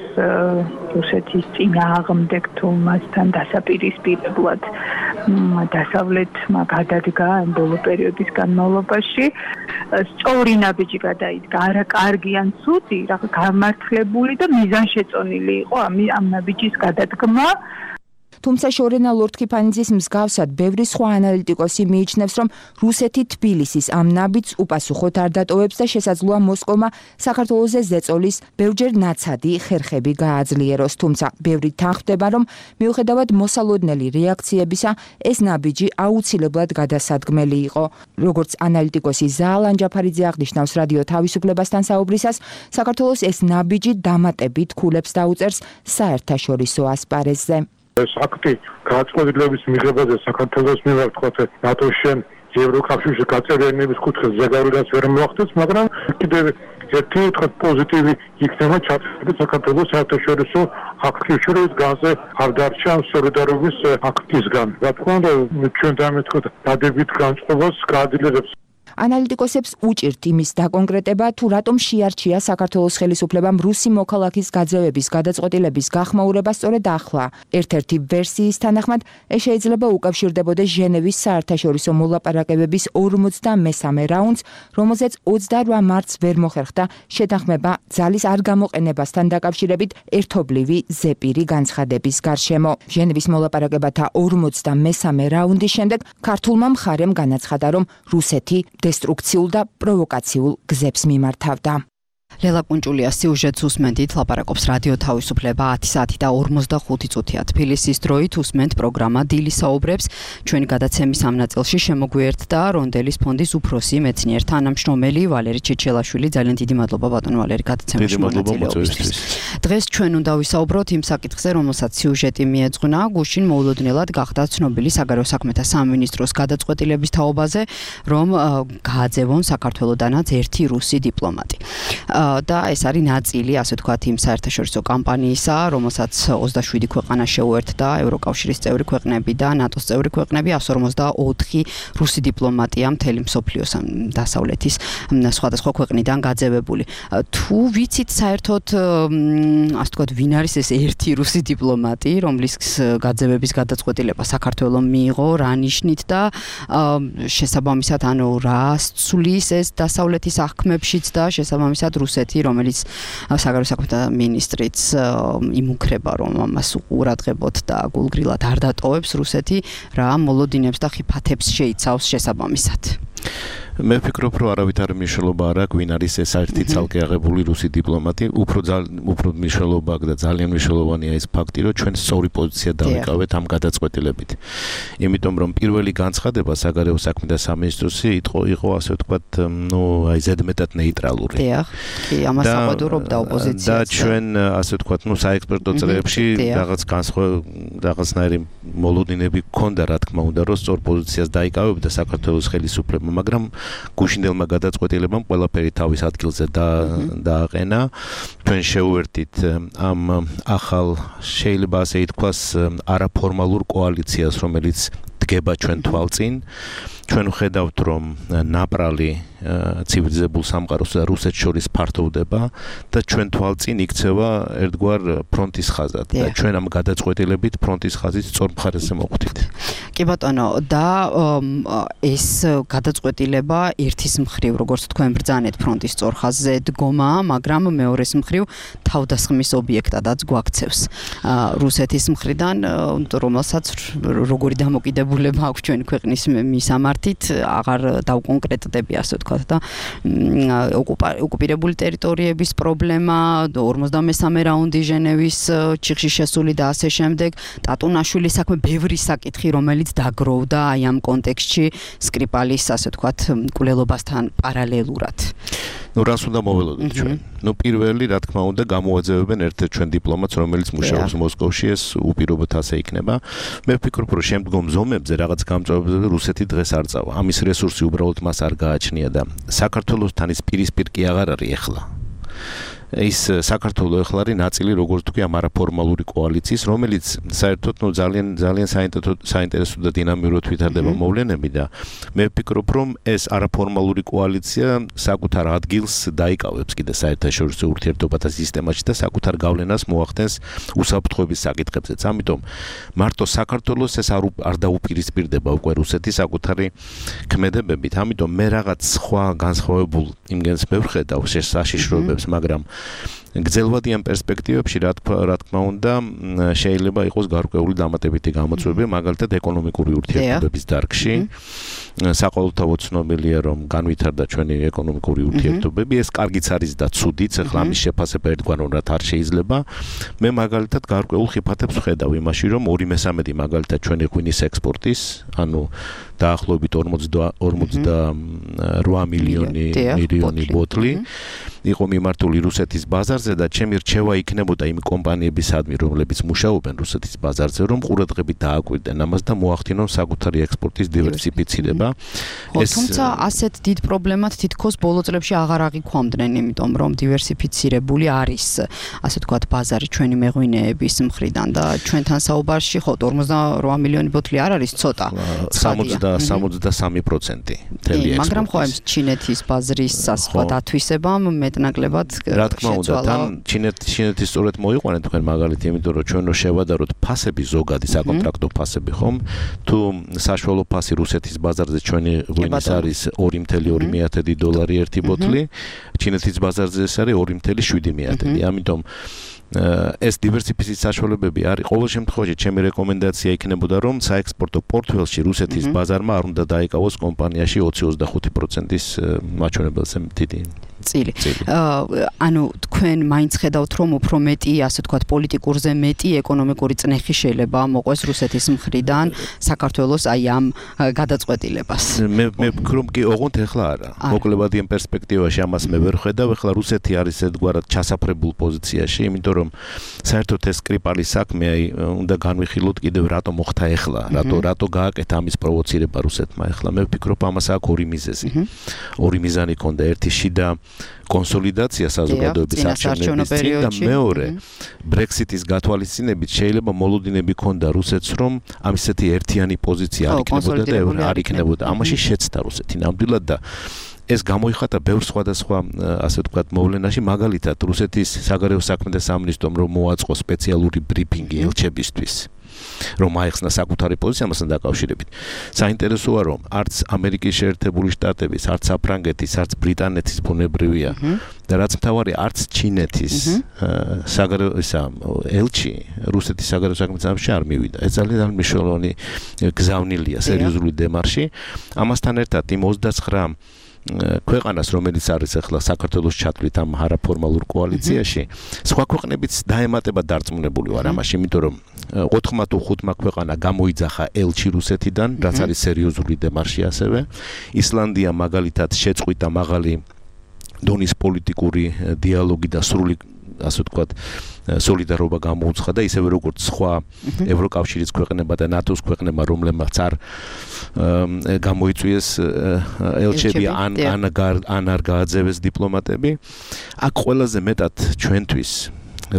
P: რუსეთის წინააღმდეგ თუ მასთან დასაპირისპირებლად დასავლეთმა გადადგა ამ ბოლო პერიოდის განმავლობაში. სწორი ნაბიჯი გადაიდგა, არა კარგი ან ცუდი, რაღაც გამართლებული და მიზანშეწონილი იყო ამ ნაბიჯის გადადგმა.
N: თუმცა შორენა ლორდ-ქიფანიძის მსგავსად ბევრი სხვა ანალიტიკოსი მიიჩნევს, რომ რუსეთი თბილისის ამ ნაბიჯს უპასუხოდ არ დატოვებს და შესაძლოა მოსკოვმა საქართველოზე ზეწოლის ბევრჯერ ნაცადი ხერხები გააძლიეროს. თუმცა ბევრი თანხმდება, რომ მიუხედავად მოსალოდნელი რეაქციებისა, ეს ნაბიჯი აუცილებლად გადასადგმელი იყო. როგორც ანალიტიკოსი ზაალან ჯაფარიძე აღნიშნავს რადიო თავისუფლებასთან საუბრისას, საქართველოს ეს ნაბიჯი დამატებით ქულებს დაუწერს საერთაშორისო ასპარეზზე.
Q: ეს აქტი გადაწყვეტილების მიღებაზე საქართველოს მიმართ თქვათ ნატოს-შენ ევროკავშირში გაწევრიანების კუთხეს ზეგავლენას ვერ მოახდენს, მაგრამ კიდევ ერთი თქვათ პოზიტივი იქნება ჩატარებული საქართველოს საერთაშორისო აქტის შორის განზე არ დარჩა სოლიდარობის აქტისგან. რა თქმა უნდა, ჩვენ დამეთქვათ დადებით განწყობას გააძლიერებს.
N: ანალიტიკოსებს უჭირთ იმის დაკონკრეტება, თუ რატომ შეარჩია საქართველოს ხელისუფლებამ რუსი მოქალაქის გაძევების გადაწყვეტილების გახმაურება სწორედ ახლა. ერთ-ერთი ვერსიის თანახმად, ეს შეიძლება უკავშირდებოდეს ჟენევის საერთაშორისო მოლაპარაკებების 43 რაუნდს, რომელზეც 28 მარტს ვერ მოხერხდა შეთანხმება ძალის არ გამოყენებასთან დაკავშირებით ერთობლივი ზეპირი განცხადების გარშემო. ჟენევის მოლაპარაკებათა 43 რაუნდის შემდეგ ქართულმა მხარემ განაცხადა, რომ რუსეთი დესტრუქციულ და პროვოკაციულ გზებს მიმართავდა.
B: ლელა კუნჭულიას სიუჟეტს უსმენთ, ლაპარაკობს რადიო თავისუფლება 10 საათი და 45 წუთია. თბილისის დროით უსმენთ პროგრამა დილი საუბრებს. ჩვენი გადაცემის ამ ნაწილში შემოგვიერთდა რონდელის ფონდის უფროსი მეცნიერ თანამშრომელი ვალერი ჩეჩელაშვილი. ძალიან დიდი მადლობა ბატონო ვალერი გადაცემაში მონაწილეობისთვის. დღეს ჩვენ უნდა ვისაუბროთ იმ საკითხზე, რომელსაც სიუჟეტი მიეძღვნა. გუშინ მოულოდნელად გახდა ცნობილი საგარეო საქმეთა სამინისტროს გადაწყვეტილების თაობაზე, რომ გააძევონ საქართველოდანაც ერთი რუსი დიპლომატი. და ეს არის ნაწილი, ასე ვთქვათ, იმ საერთაშორისო კამპანიისა, რომელსაც 27 ქვეყანა შეუერთდა, ევროკავშირის წევრი ქვეყნები და ნატოს წევრი ქვეყნები, 154 რუსი დიპლომატია მთელი მსოფლიოს დასავლეთის სხვადასხვა ქვეყნიდან გაძევებული. თუ ვიცით საერთოდ, ასე ვთქვათ, ვინ არის ეს ერთი რუსი დიპლომატი, რომლის გაძევების გადაწყვეტილება საქართველოს მიიღო, რა ნიშნით და შესაბამისად, ანუ რა სცვლის ეს დასავლეთის აღქმებშიც და შესაბამისად რუსეთი, რომელიც საგარეო საქმეთა მინისტრიც იმუქრება, რომ ამას უყურადღებოთ და გულგრილად არ დატოვებს რუსეთი, რა მოლოდინებს და ხიფათებს შეიცავს შესაბამისად.
R: მე ვფიქრობ, რომ არავით არ მნიშვნელობა არ აქვს, ვინ არის ეს ერთი ცალკე აღებული რუსი დიპლომატი. უფრო მნიშვნელობა აქვს და ძალიან მნიშვნელოვანია ეს ფაქტი, რომ ჩვენ სწორი პოზიცია დავიკავეთ ამ გადაწყვეტილებით. იმიტომ რომ პირველი განცხადება საგარეო საქმეთა სამინისტროსი იყო, ასე ვთქვათ, აი ზედმეტად ნეიტრალური.
B: დიახ, კი, ამას საყვედურობდა ოპოზიციას.
R: და ჩვენ, ასე ვთქვათ, საექსპერტო წრეებში რაღაცნაირი მოლოდინები გქონდა, რა თქმა უნდა, რომ სწორ პოზიციას დაიკავებდა საქართველოს ხელისუფლება, მაგრამ გუშინდელმა გადაწყვეტილებამ ყველაფერი თავის ადგილზე დააყენა. ჩვენ შევუერთით ამ ახალ, შეიძლება ასე ითქვას, არაფორმალურ კოალიციას, რომელიც დგება ჩვენ თვალწინ. ჩვენ ვხედავთ, რომ ნაპრალი ცივილიზებულ სამყაროს და რუსეთს შორის ფართოვდება და ჩვენ თვალწინ იქცევა ერთგვარ ფრონტის ხაზად და ჩვენ ამ გადაწყვეტილებით ფრონტის ხაზის სწორ მხარეზე მოხვდით.
B: კი ბატონო, და ეს გადაწყვეტილება ერთის მხრივ, როგორც თქვენ ბრძანეთ ფრონტის სწორ ხაზზე დგომა, მაგრამ მეორეს მხრივ თავდასხმის ობიექტადაც გვაქცევს რუსეთის მხრიდან, რომელსაც როგორი დამოკიდებულება აქვს ჩვენი ქვეყნის მისამართი მიმართით აღარ დავკონკრეტდები, ასე ვთქვათ და ოკუპირებული ტერიტორიების პრობლემა, 53 რაუნდი ჟენევის ჩიხში შესული და ასე შემდეგ, ტატუნაშვილის საქმე, ბევრი საკითხი, რომელიც დაგროვდა აი ამ კონტექსტში სკრიპალის, ასე ვთქვათ, მკვლელობასთან პარალელურად.
R: რას უნდა მოველოდოთ ჩვენ? პირველი, რა თქმა უნდა, გამოაძევებენ ერთ-ერთ ჩვენ დიპლომატს, რომელიც მუშაობს მოსკოვში, ეს უპირობოდ ასე იქნება. მე ვფიქრობ, რომ შემდგომ ზომებზე რაღაც გამწვავებებზე რუსეთი დღეს არ წავა. ამის რესურსი უბრალოდ მას არ გააჩნია და საქართველოსთან ის პირისპირ კი აღარ არის ახლა. ის საქართველოს ახლა არის ნაწილი, როგორც თქვი, ამ არაფორმალური კოალიციის, რომელიც საერთოდ ძალიან საინტერესო და დინამიურად ვითარდება მოვლენები და მე ვფიქრობ, რომ ეს არაფორმალური კოალიცია საკუთარ ადგილს დაიკავებს კიდე საერთაშორისო ურთიერთობათა სისტემაში და საკუთარ გავლენას მოახდენს უსაფრთხოების საკითხებზეც. ამიტომ მარტო საქართველოს ეს არ დაუპირისპირდება უკვე რუსეთის საკუთარი ქმედებებით. ამიტომ მე რაღაც სხვა განსხვავებულ იმგენს მე ვხედავ საშიშროებებს, მაგრამ გრძელვადიან პერსპექტივებში რა თქმა უნდა შეიძლება იყოს გარკვეული დამატებითი გამოწვევები, მაგალითად ეკონომიკური ურთიერთობების დარგში. საყოველთაოდ ცნობილია, რომ განვითარდა ჩვენი ეკონომიკური ურთიერთობები, ეს კარგიც არის და ცუდიც, ახლა ამის შეფასება ერთგვაროვნად არ შეიძლება. მე მაგალითად გარკვეულ ხიფათებს ვხედავ იმაში, რომ 2/3 მაგალითად ჩვენი ღვინის ექსპორტის, ანუ დაახლოებით 48 მილიონი ბოთლი იყო მიმართული რუსეთის ბაზარზე და ჩემი რჩევა იქნებოდა იმ კომპანიებისადმი, რომლებიც მუშაობენ რუსეთის ბაზარზე, რომ ყურადღებით დააკვირდნენ ამას და მოახდინონ საკუთარი ექსპორტის დივერსიფიცირება.
B: თუმცა ასეთ დიდ პრობლემად თითქოს ბოლო წლებში აღარ აღიქვამდნენ, იმიტომ რომ დივერსიფიცირებული არის, ასე ვთქვათ, ბაზარი ჩვენი მეღვინეების მხრიდან და ჩვენთან საუბარში ხო 48 მილიონი ბოთლი არ არის ცოტა.
R: 63% თელი ექსპორტის.
B: მაგრამ ხო ჩინეთის ბაზრის სხვა დათვისებამ მეტნაკლებად
R: რა თქმა უნდა, თან ჩინეთის სწორედ მოიყვანეთ თქვენ მაგალითი, იმიტომ რომ ჩვენ რო შევადაროთ ფასები ზოგადი საკონტრაქტო ფასები ხომ, თუ საშუალო ფასი რუსეთის ბაზარზე ჩვენი ღვინის არის $2.2 ერთი ბოთლი, ჩინეთის ბაზარზე ეს არის $2.7. ამიტომ ეს დივერსიფიციის საშუალებები არის. ყოველ შემთხვევაში ჩემი რეკომენდაცია იქნებოდა, რომ საექსპორტო პორტფელში რუსეთის ბაზარმა არ უნდა დაიკავოს კომპანიაში 20-25%-ის მაჩვენებელზე დიდი
B: წილი. ანუ თქვენ მაინც ხედავთ, რომ უფრო მეტი, ასე ვთქვათ, პოლიტიკურზე მეტი ეკონომიკური წნეხი შეიძლება მოყვეს რუსეთის მხრიდან საქართველოს აი ამ გადაწყვეტილებას.
R: მე ვფიქრობ, კი ოღონდ ეხლა არა. მოკლებადიან პერსპექტივაში ამას მე ვერ ხედავ. ეხლა რუსეთი არის ერთგვარად ჩასაფრებულ პოზიციაში, იმიტომ რომ საერთოდ ეს სკრიპალის საქმე უნდა განვიხილოთ კიდევ რატო მოხდა ეხლა, რატო გააკეთა ამის პროვოცირება რუსეთმა ეხლა. მე ვფიქრობ, ამას აქვს ორი მიზეზი. ორი მიზანი ქონდა, ერთი შიდა კონსოლიდაცია საზოგადოების არჩევნების წინ და მეორე ბრექსიტის გათვალისწინებით შეიძლება მოლოდინები ქონდა რუსეთს, რომ ამ ისეთი ერთიანი პოზიცია არ იქნებოდა და არ იქნებოდა. ამაში შეცდა რუსეთი ნამდვილად და ეს გამოიხატა ბევრ სხვადასხვა, ასე ვთქვათ, მოვლენაში, მაგალითად რუსეთის საგარეო საქმეთა სამინისტრომ რომ მოაწყო სპეციალური ბრიფინგი ელჩებისთვის, რომ აეხსნა საკუთარი პოზიცია ამასთან დაკავშირებით. საინტერესოა, რომ არც ამერიკის შეერთებული შტატების, არც საფრანგეთის, არც ბრიტანეთის ბუნებრივია და რაც მთავარი, არც ჩინეთის საგარეო ელჩი რუსეთის საგარეო საქმეთა სამინისტროში არ მივიდა. ეს ძალიან მნიშვნელოვანი გზავნილია სერიოზული დემარში. ამასთან ერთად იმ 29 ქვეყანას, რომელიც არის ახლა საქართველოს ჩათვლით ამ არაფორმალურ კოალიციაში, სხვა ქვეყნებიც დაემატება დარწმუნებული ვარ ამაში, იმიტომ რომ 4 თუ 5 ქვეყანა გამოიძახა ელჩი რუსეთიდან, რაც არის სერიოზული დემარში ასევე. ისლანდია მაგალითად შეწყვიტა მაღალი დონის პოლიტიკური დიალოგი და სრული, ასე ვთქვათ, სოლიდარობა გამოუცხადა და ისევე როგორც სხვა ევროკავშირის ქვეყნებმა და ნატოს ქვეყნებმა, რომლებმაც არ გამოიწვიეს ელჩები ან არ გააძევეს დიპლომატები. აქ ყველაზე მეტად ჩვენთვის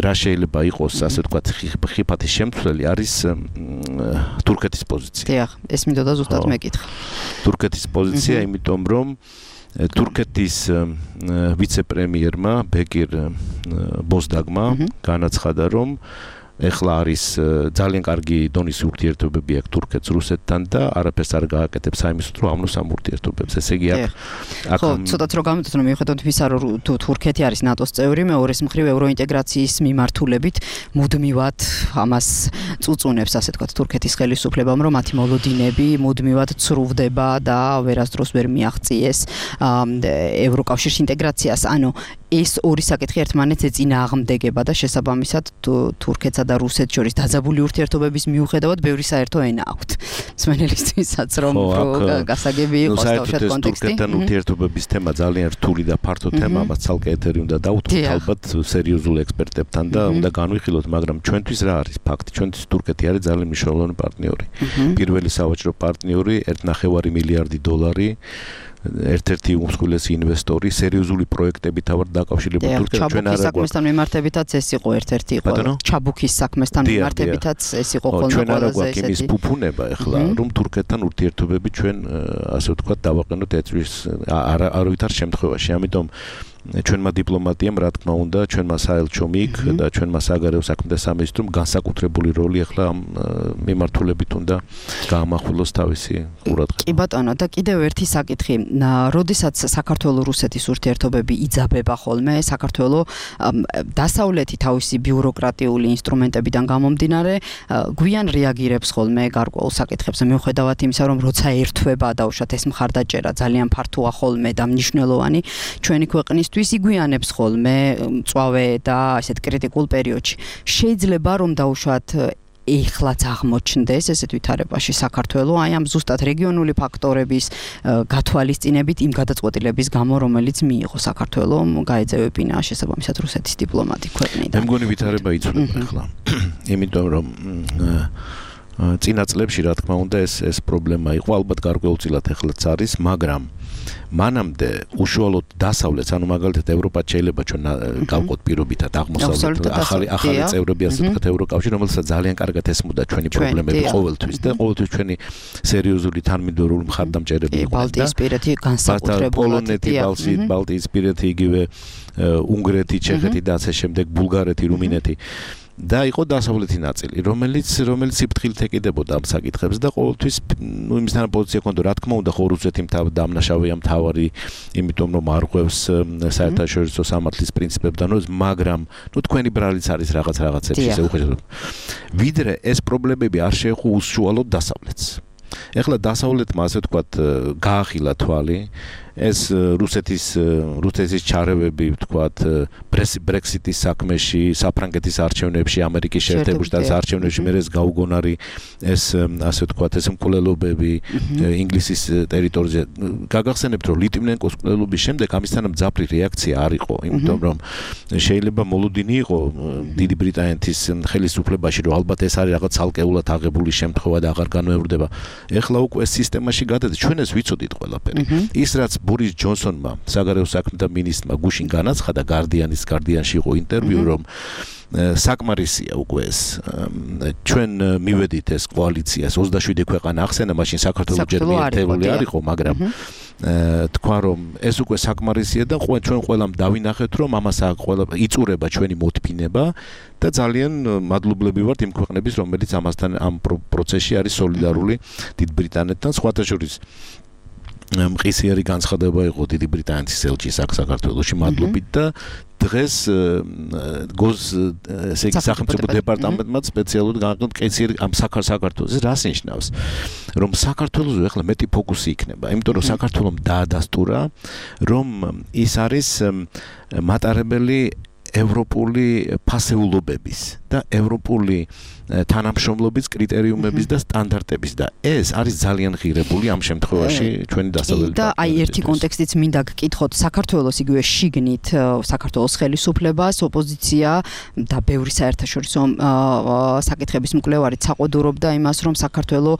R: რა შეიძლება იყოს, ასე ვთქვათ, ხიფათის შემცვლელი არის თურქეთის პოზიცია.
B: დიახ, ეს მინდოდა ზუსტად მეკითხა.
R: თურქეთის პოზიცია, იმიტომ რომ თურქეთის ვიცე-პრემიერმა ბეკირ ბოზდაგმა განაცხადა, რომ ეხლა არის ძალიან კარგი დონის ურთიერთობები აქვს თურქეთს რუსეთთან და არაფერს არ გააკეთებს აიმის რომ ამნოს ამ ურთიერთობებს. ესე იგი აქ
B: ხო, ცოტაც რომ გამოდოთ რომ მიუხედავად იმისა რომ თურქეთი არის ნატოს წევრი, მეორეს მხრივ ევროინტეგრაციის მიმართულებით მუდმივად ამას წუწუნებს, ასე ვთქვათ, თურქეთის ხელისუფლებამ, რომ მათი მოლოდინები მუდმივად ცრუვდება და ვერასდროს ვერ მიაღწიეს ევროკავშირის ინტეგრაციას. ანუ ეს ორი საკითხი ერთმანეთს ეწინააღმდეგება და შესაბამისად თურქეთსა და რუსეთს შორის დაძაბული ურთიერთობების მიუხედავად ბევრი საერთო ენა აქვთ. მსმენელისთვისაც რომ გასაგები იყოს თავშად კონტექსტი.
R: თურქეთთან ურთიერთობების თემა ძალიან რთული და ფართო თემა, ამას ცალკე ეთერი უნდა დავუთმოთ ალბათ სერიოზულ ექსპერტებთან და უნდა განვიხილოთ, მაგრამ ჩვენთვის რა არის ფაქტი? ჩვენთვის თურქეთი არის ძალიან მნიშვნელოვანი პარტნიორი. პირველი სავაჭრო პარტნიორი, 1.5 მილიარდი $. ერთ-ერთი უმსხვილესი ინვესტორი, სერიოზული პროექტები თავად დაკავშირებული თურქეთთან ჩვენ არ
B: საქმესთან მიმართებითაც ეს იყო ერთ-ერთი ჩაბუქის საქმესთან მიმართებითაც ეს იყო ხოლმე ყველაზე
R: ესეთი. იმის ფუფუნება ახლა რომ თურქეთთან ურთიერთობები ჩვენ ასე ვთქვათ დავაყენოთ ეწვის არავითარ შემთხვევაში. ამიტომ ჩვენმა დიპლომატიამ რა თქმა უნდა ჩვენმა საელჩო მიგ და ჩვენმა საგარეო საქმეთა სამინისტრომ განსაკუთრებული როლი ახლა ამ მიმართულებით უნდა გაამახვილოს თავისი ყურადღება.
B: კი ბატონო და კიდევ ერთი საკითხი, როდესაც საქართველო-რუსეთის ურთიერთობები იძაბება ხოლმე, საქართველო დასავლეთი თავისი ბიუროკრატიული ინსტრუმენტებიდან გამომდინარე გვიან რეაგირებს ხოლმე გარკვეულ საკითხებზე, მიუხედავად იმისა, რომ როცა ერთვება დაუშვათ ეს მხარდაჭერა ძალიან ფართოა ხოლმე და მნიშვნელოვანი ჩვენი ქვეყნის იგვიანებს ხოლმე მწვავე და ასეთ კრიტიკულ პერიოდში. შეიძლება რომ დაუშვათ ეხლაც აღმოჩნდეს ესეთ ვითარებაში საქართველო აი ამ ზუსტად რეგიონული ფაქტორების გათვალისწინებით იმ გადაწყვეტილების გამო, რომელიც მიიღო საქართველო გაეძევებინა შესაბამისად რუსეთის დიპლომატი ქვეყნიდან.
R: მე მგონი ვითარება იცვლება ახლა. იმიტომ რომ წინა წლებში რა თქმა უნდა ეს პრობლემა იყო, ალბათ გარკვეულწილად ეხლაც არის, მაგრამ მანამდე უშუალოდ დასავლეთს, ანუ მაგალითად ევროპა შეიძლება ჩვენ გავყოთ პირობითად აღმოსავლეთ ახალი წევრები ასე ვთქვათ ევროკავშირი, რომელსაც ძალიან კარგად ესმოდა ჩვენი პრობლემები ყოველთვის და ყოველთვის ჩვენი სერიოზული თანმიმდევრული მხარდამჭერები იყო.
B: ბალტიისპირეთი განსაკუთრებულად
R: პოლონეთი, ბალტიისპირეთი, იგივე უნგრეთი, ჩეხეთი და ასე შემდეგ, ბულგარეთი, რუმინეთი. და იყო დასავლეთი ნაწილი, რომელიც სიფრთხილით ეკიდებოდა ამ საკითხებს და ყოველთვის იმისთან პოზიცია ჰქონდა, რა თქმა უნდა, რუსეთი დამნაშავეა მთავარი, იმიტომ რომ არ ყვევს საერთაშორისო სამართლის პრინციპებთან, მაგრამ თქვენი ბრალიც არის რაღაცებში ისე უხეშად. ვიდრე ეს პრობლემები არ შეეხო უშუალოდ დასავლეთს. ეხლა დასავლეთმა ასე ვთქვათ გაახილა თვალი ეს რუსეთის ჩარევები ვთქვათ ბრექსიტის საქმეში, საფრანგეთის არჩევნებში, ამერიკის შეერთებული შტატების არჩევნებში, მე ეს გაუგონარი ეს ასე ვთქვათ ეს მკვლელობები ინგლისის ტერიტორიაზე. გაგახსენებთ რომ ლიტვინენკოს მკვლელობის შემდეგ ამისთან მძაფრი რეაქცია არ იყო, იმიტომ რომ შეიძლება მოლოდინი იყო დიდი ბრიტანეთის ხელისუფლებაში, რომ ალბათ ეს არის რაღაც ცალკეულად აღებული შემთხვევა და აღარ განმეორდება. ეხლა უკვე სისტემაში გადადის, ჩვენ ეს ვიცოდით ყველაფერი. ის რაც ბორის ჯონსონმა, საგარეო საქმეთა მინისტრმა გუშინ განაცხადა გარდიანში იყო ინტერვიუ, რომ საკმარისია უკვე ეს ჩვენ მივედით ეს კოალიციას 27 ქვეყანა ახსენა, მაშინ საქართველოს ჯერ ერთეული არ იყო, მაგრამ თქვა რომ ეს უკვე საკმარისია და ჩვენ ყველამ დავინახეთ რომ ამას იწურება ჩვენი მოთფინება და ძალიან მადლობლები ვართ იმ ქვეყნების რომელიც ამასთან ამ პროცესში არის სოლიდარული დიდ ბრიტანეთთან, სხვათა შორის მყისიერი განცხადება იყო დიდი ბრიტანეთის ელჩის აქ საქართველოში მადლობით და დღეს ესე იგი სახელმწიფო დეპარტამენტმა სპეციალურად განაცხადა მყისიერი ამ საქართველოს რას ნიშნავს რომ საქართველოს ახლა მეტი ფოკუსი იქნება იმიტომ რომ საქართველოს დაადასტურა რომ ის არის მატარებელი ევროპული ფასეულობების და ევროპული თანამშრომლობის კრიტერიუმების და სტანდარტების და ეს არის ძალიან ღირებული ამ შემთხვევაში ჩვენი დასავლელი
B: და აი ერთი კონტექსტიც მინდა გკითხოთ საქართველოს იგივე შიგნით საქართველოს ხელისუფლებას ოპოზიცია და ბევრი საერთაშორისო საკითხების მკვლევარი წაყოდურობდა იმას რომ საქართველოს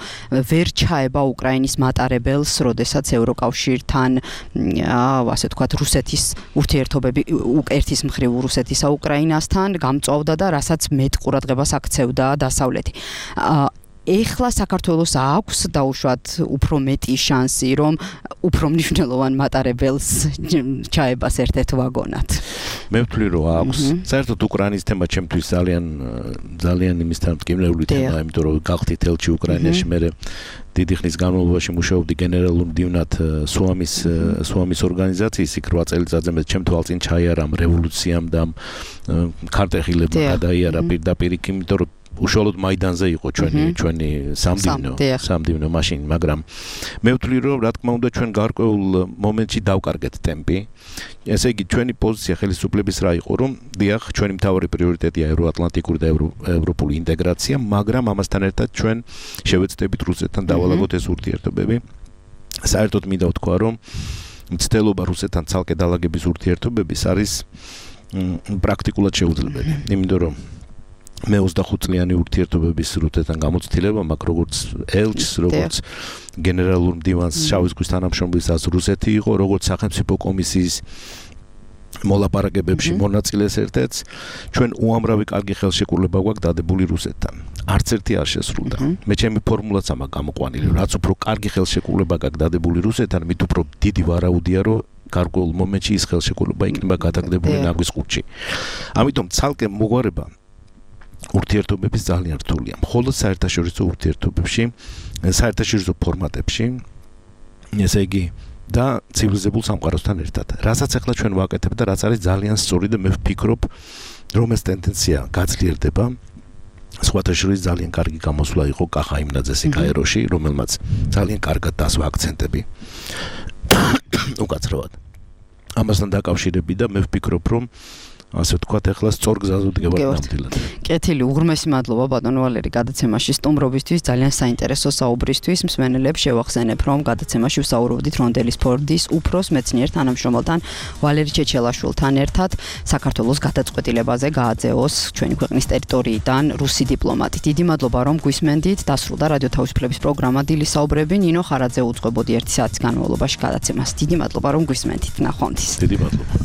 B: ვერ ჩაება უკრაინის მატარებელს როდესაც ევროკავშირთან ასე ვთქვათ რუსეთის ურთიერთობები ერთის მხრივ რუსეთისა უკრაინასთან გამწვავდა და რასაც მეტ ყურადღებას აქცევდა დასავლეთი. ეხლა საქართველოს აქვს დაუშვათ უფრო მეტი შანსი, რომ უფრო მნიშვნელოვან მატარებელს ჩაებას ერთ-ერთ ვაგონად.
R: მე ვთვლი რომ აქვს. საერთოდ უკრაინის თემა ჩემთვის ძალიან იმისთან მტკივნეული თემაა, იმიტომ რომ გახდით ელჩი უკრაინაში, მე დიდი ხნის განმავლობაში მუშაობდი გენერალურ მდივნად სუამის ორგანიზაციის, იქ 8 წელიწადზე მე ჩემ თვალწინ ჩაიარა ამ რევოლუციამ და ქარტეხილებმა გადაიარა პირდაპირ იქ, იმიტომ რომ უშუალოდ მაიდანზე იყო ჩვენი სამდივნო მაშინ, მაგრამ მე ვთვლი რომ რა თქმა უნდა ჩვენ გარკვეულ მომენტში დავკარგეთ ტემპი. ესე იგი ჩვენი პოზიცია ხელისუფლების რა იყო, რომ დიახ, ჩვენი მთავარი პრიორიტეტია ევროატლანტიკური და ევროპული ინტეგრაცია, მაგრამ ამასთან ერთად ჩვენ შევეცდებით რუსეთთან დავალაგოთ ეს ურთიერთობები. საერთოდ მინდა ვთქვა, რომ მცდელობა რუსეთთან ცალკე დალაგების ურთიერთობების არის პრაქტიკულად შეუძლებელი, იმიტომ რომ მე 25 წლიანი ურთიერთობების რუსეთთან გამოცდილება მაქვს, როგორც ელჩს, როგორც გენერალურ მდივანს შავი ზღვის თანამშრომლისას რუსეთი იყო, როგორც სახელმწიფო კომისიის მოლაპარაკებებში მონაწილეს ერთ-ერთს, ჩვენ უამრავი კარგი ხელშეკრულება გვაქვს დადებული რუსეთთან. არც ერთი არ შესრულდა. მე ჩემი ფორმულაც ამაა გამოყვანილი, რაც უფრო კარგი ხელშეკრულება გაქვს დადებული რუსეთთან, მით უფრო დიდი ვარაუდია, რომ გარკვეულ მომენტში ის ხელშეკრულება იქნება გადაგდებული ნაგვის ყუთში. ამიტომ ცალკე მოგვარება ურთიერთობების ძალიან რთულია. მხოლოდ საერთაშორისო ურთიერთობებში, საერთაშორისო ფორმატებში, ესე იგი და ცივილიზებულ სამყაროსთან ერთად. რასაც ახლა ჩვენ ვაკეთებ და რაც არის ძალიან სწორი და მე ვფიქრობ, რომ ეს ტენდენცია გაძლიერდება. სხვათა შორის ძალიან კარგი გამოსვლა იყო კახა იმნაძეს კაიროში, რომელმაც ძალიან კარგად დასვა აქცენტები. უკაცრავად. ამასთან დაკავშირებით და მე ვფიქრობ, რომ ასე ვთქვათ, ახლა სწორ გზაზე ვდგებათ ნამდვილად.
B: კეთილი, უღრმესი მადლობა ბატონო ვალერი გადაცემაში სტუმრობისთვის, ძალიან საინტერესო საუბრისთვის. მსმენელებს შევახსენებ, რომ გადაცემაში ვსაუბრობდით რონდელის ფორდის უფროს მეცნიერ თანამშრომელთან ვალერი ჩეჩელაშვილთან ერთად საქართველოს გადაწყვეტილებაზე გააძეოს ჩვენი ქვეყნის ტერიტორიიდან რუსი დიპლომატი. დიდი მადლობა, რომ გვისმენდით. დასრულდა რადიო თავისუფლების პროგრამა დილის საუბრები. ნინო ხარაძე უძღვებოდი 1 საათის განმავლობაში გადაცემას. დიდი მადლობა, რომ გვისმენდით. ნახვამდის.
R: დიდი მადლობა.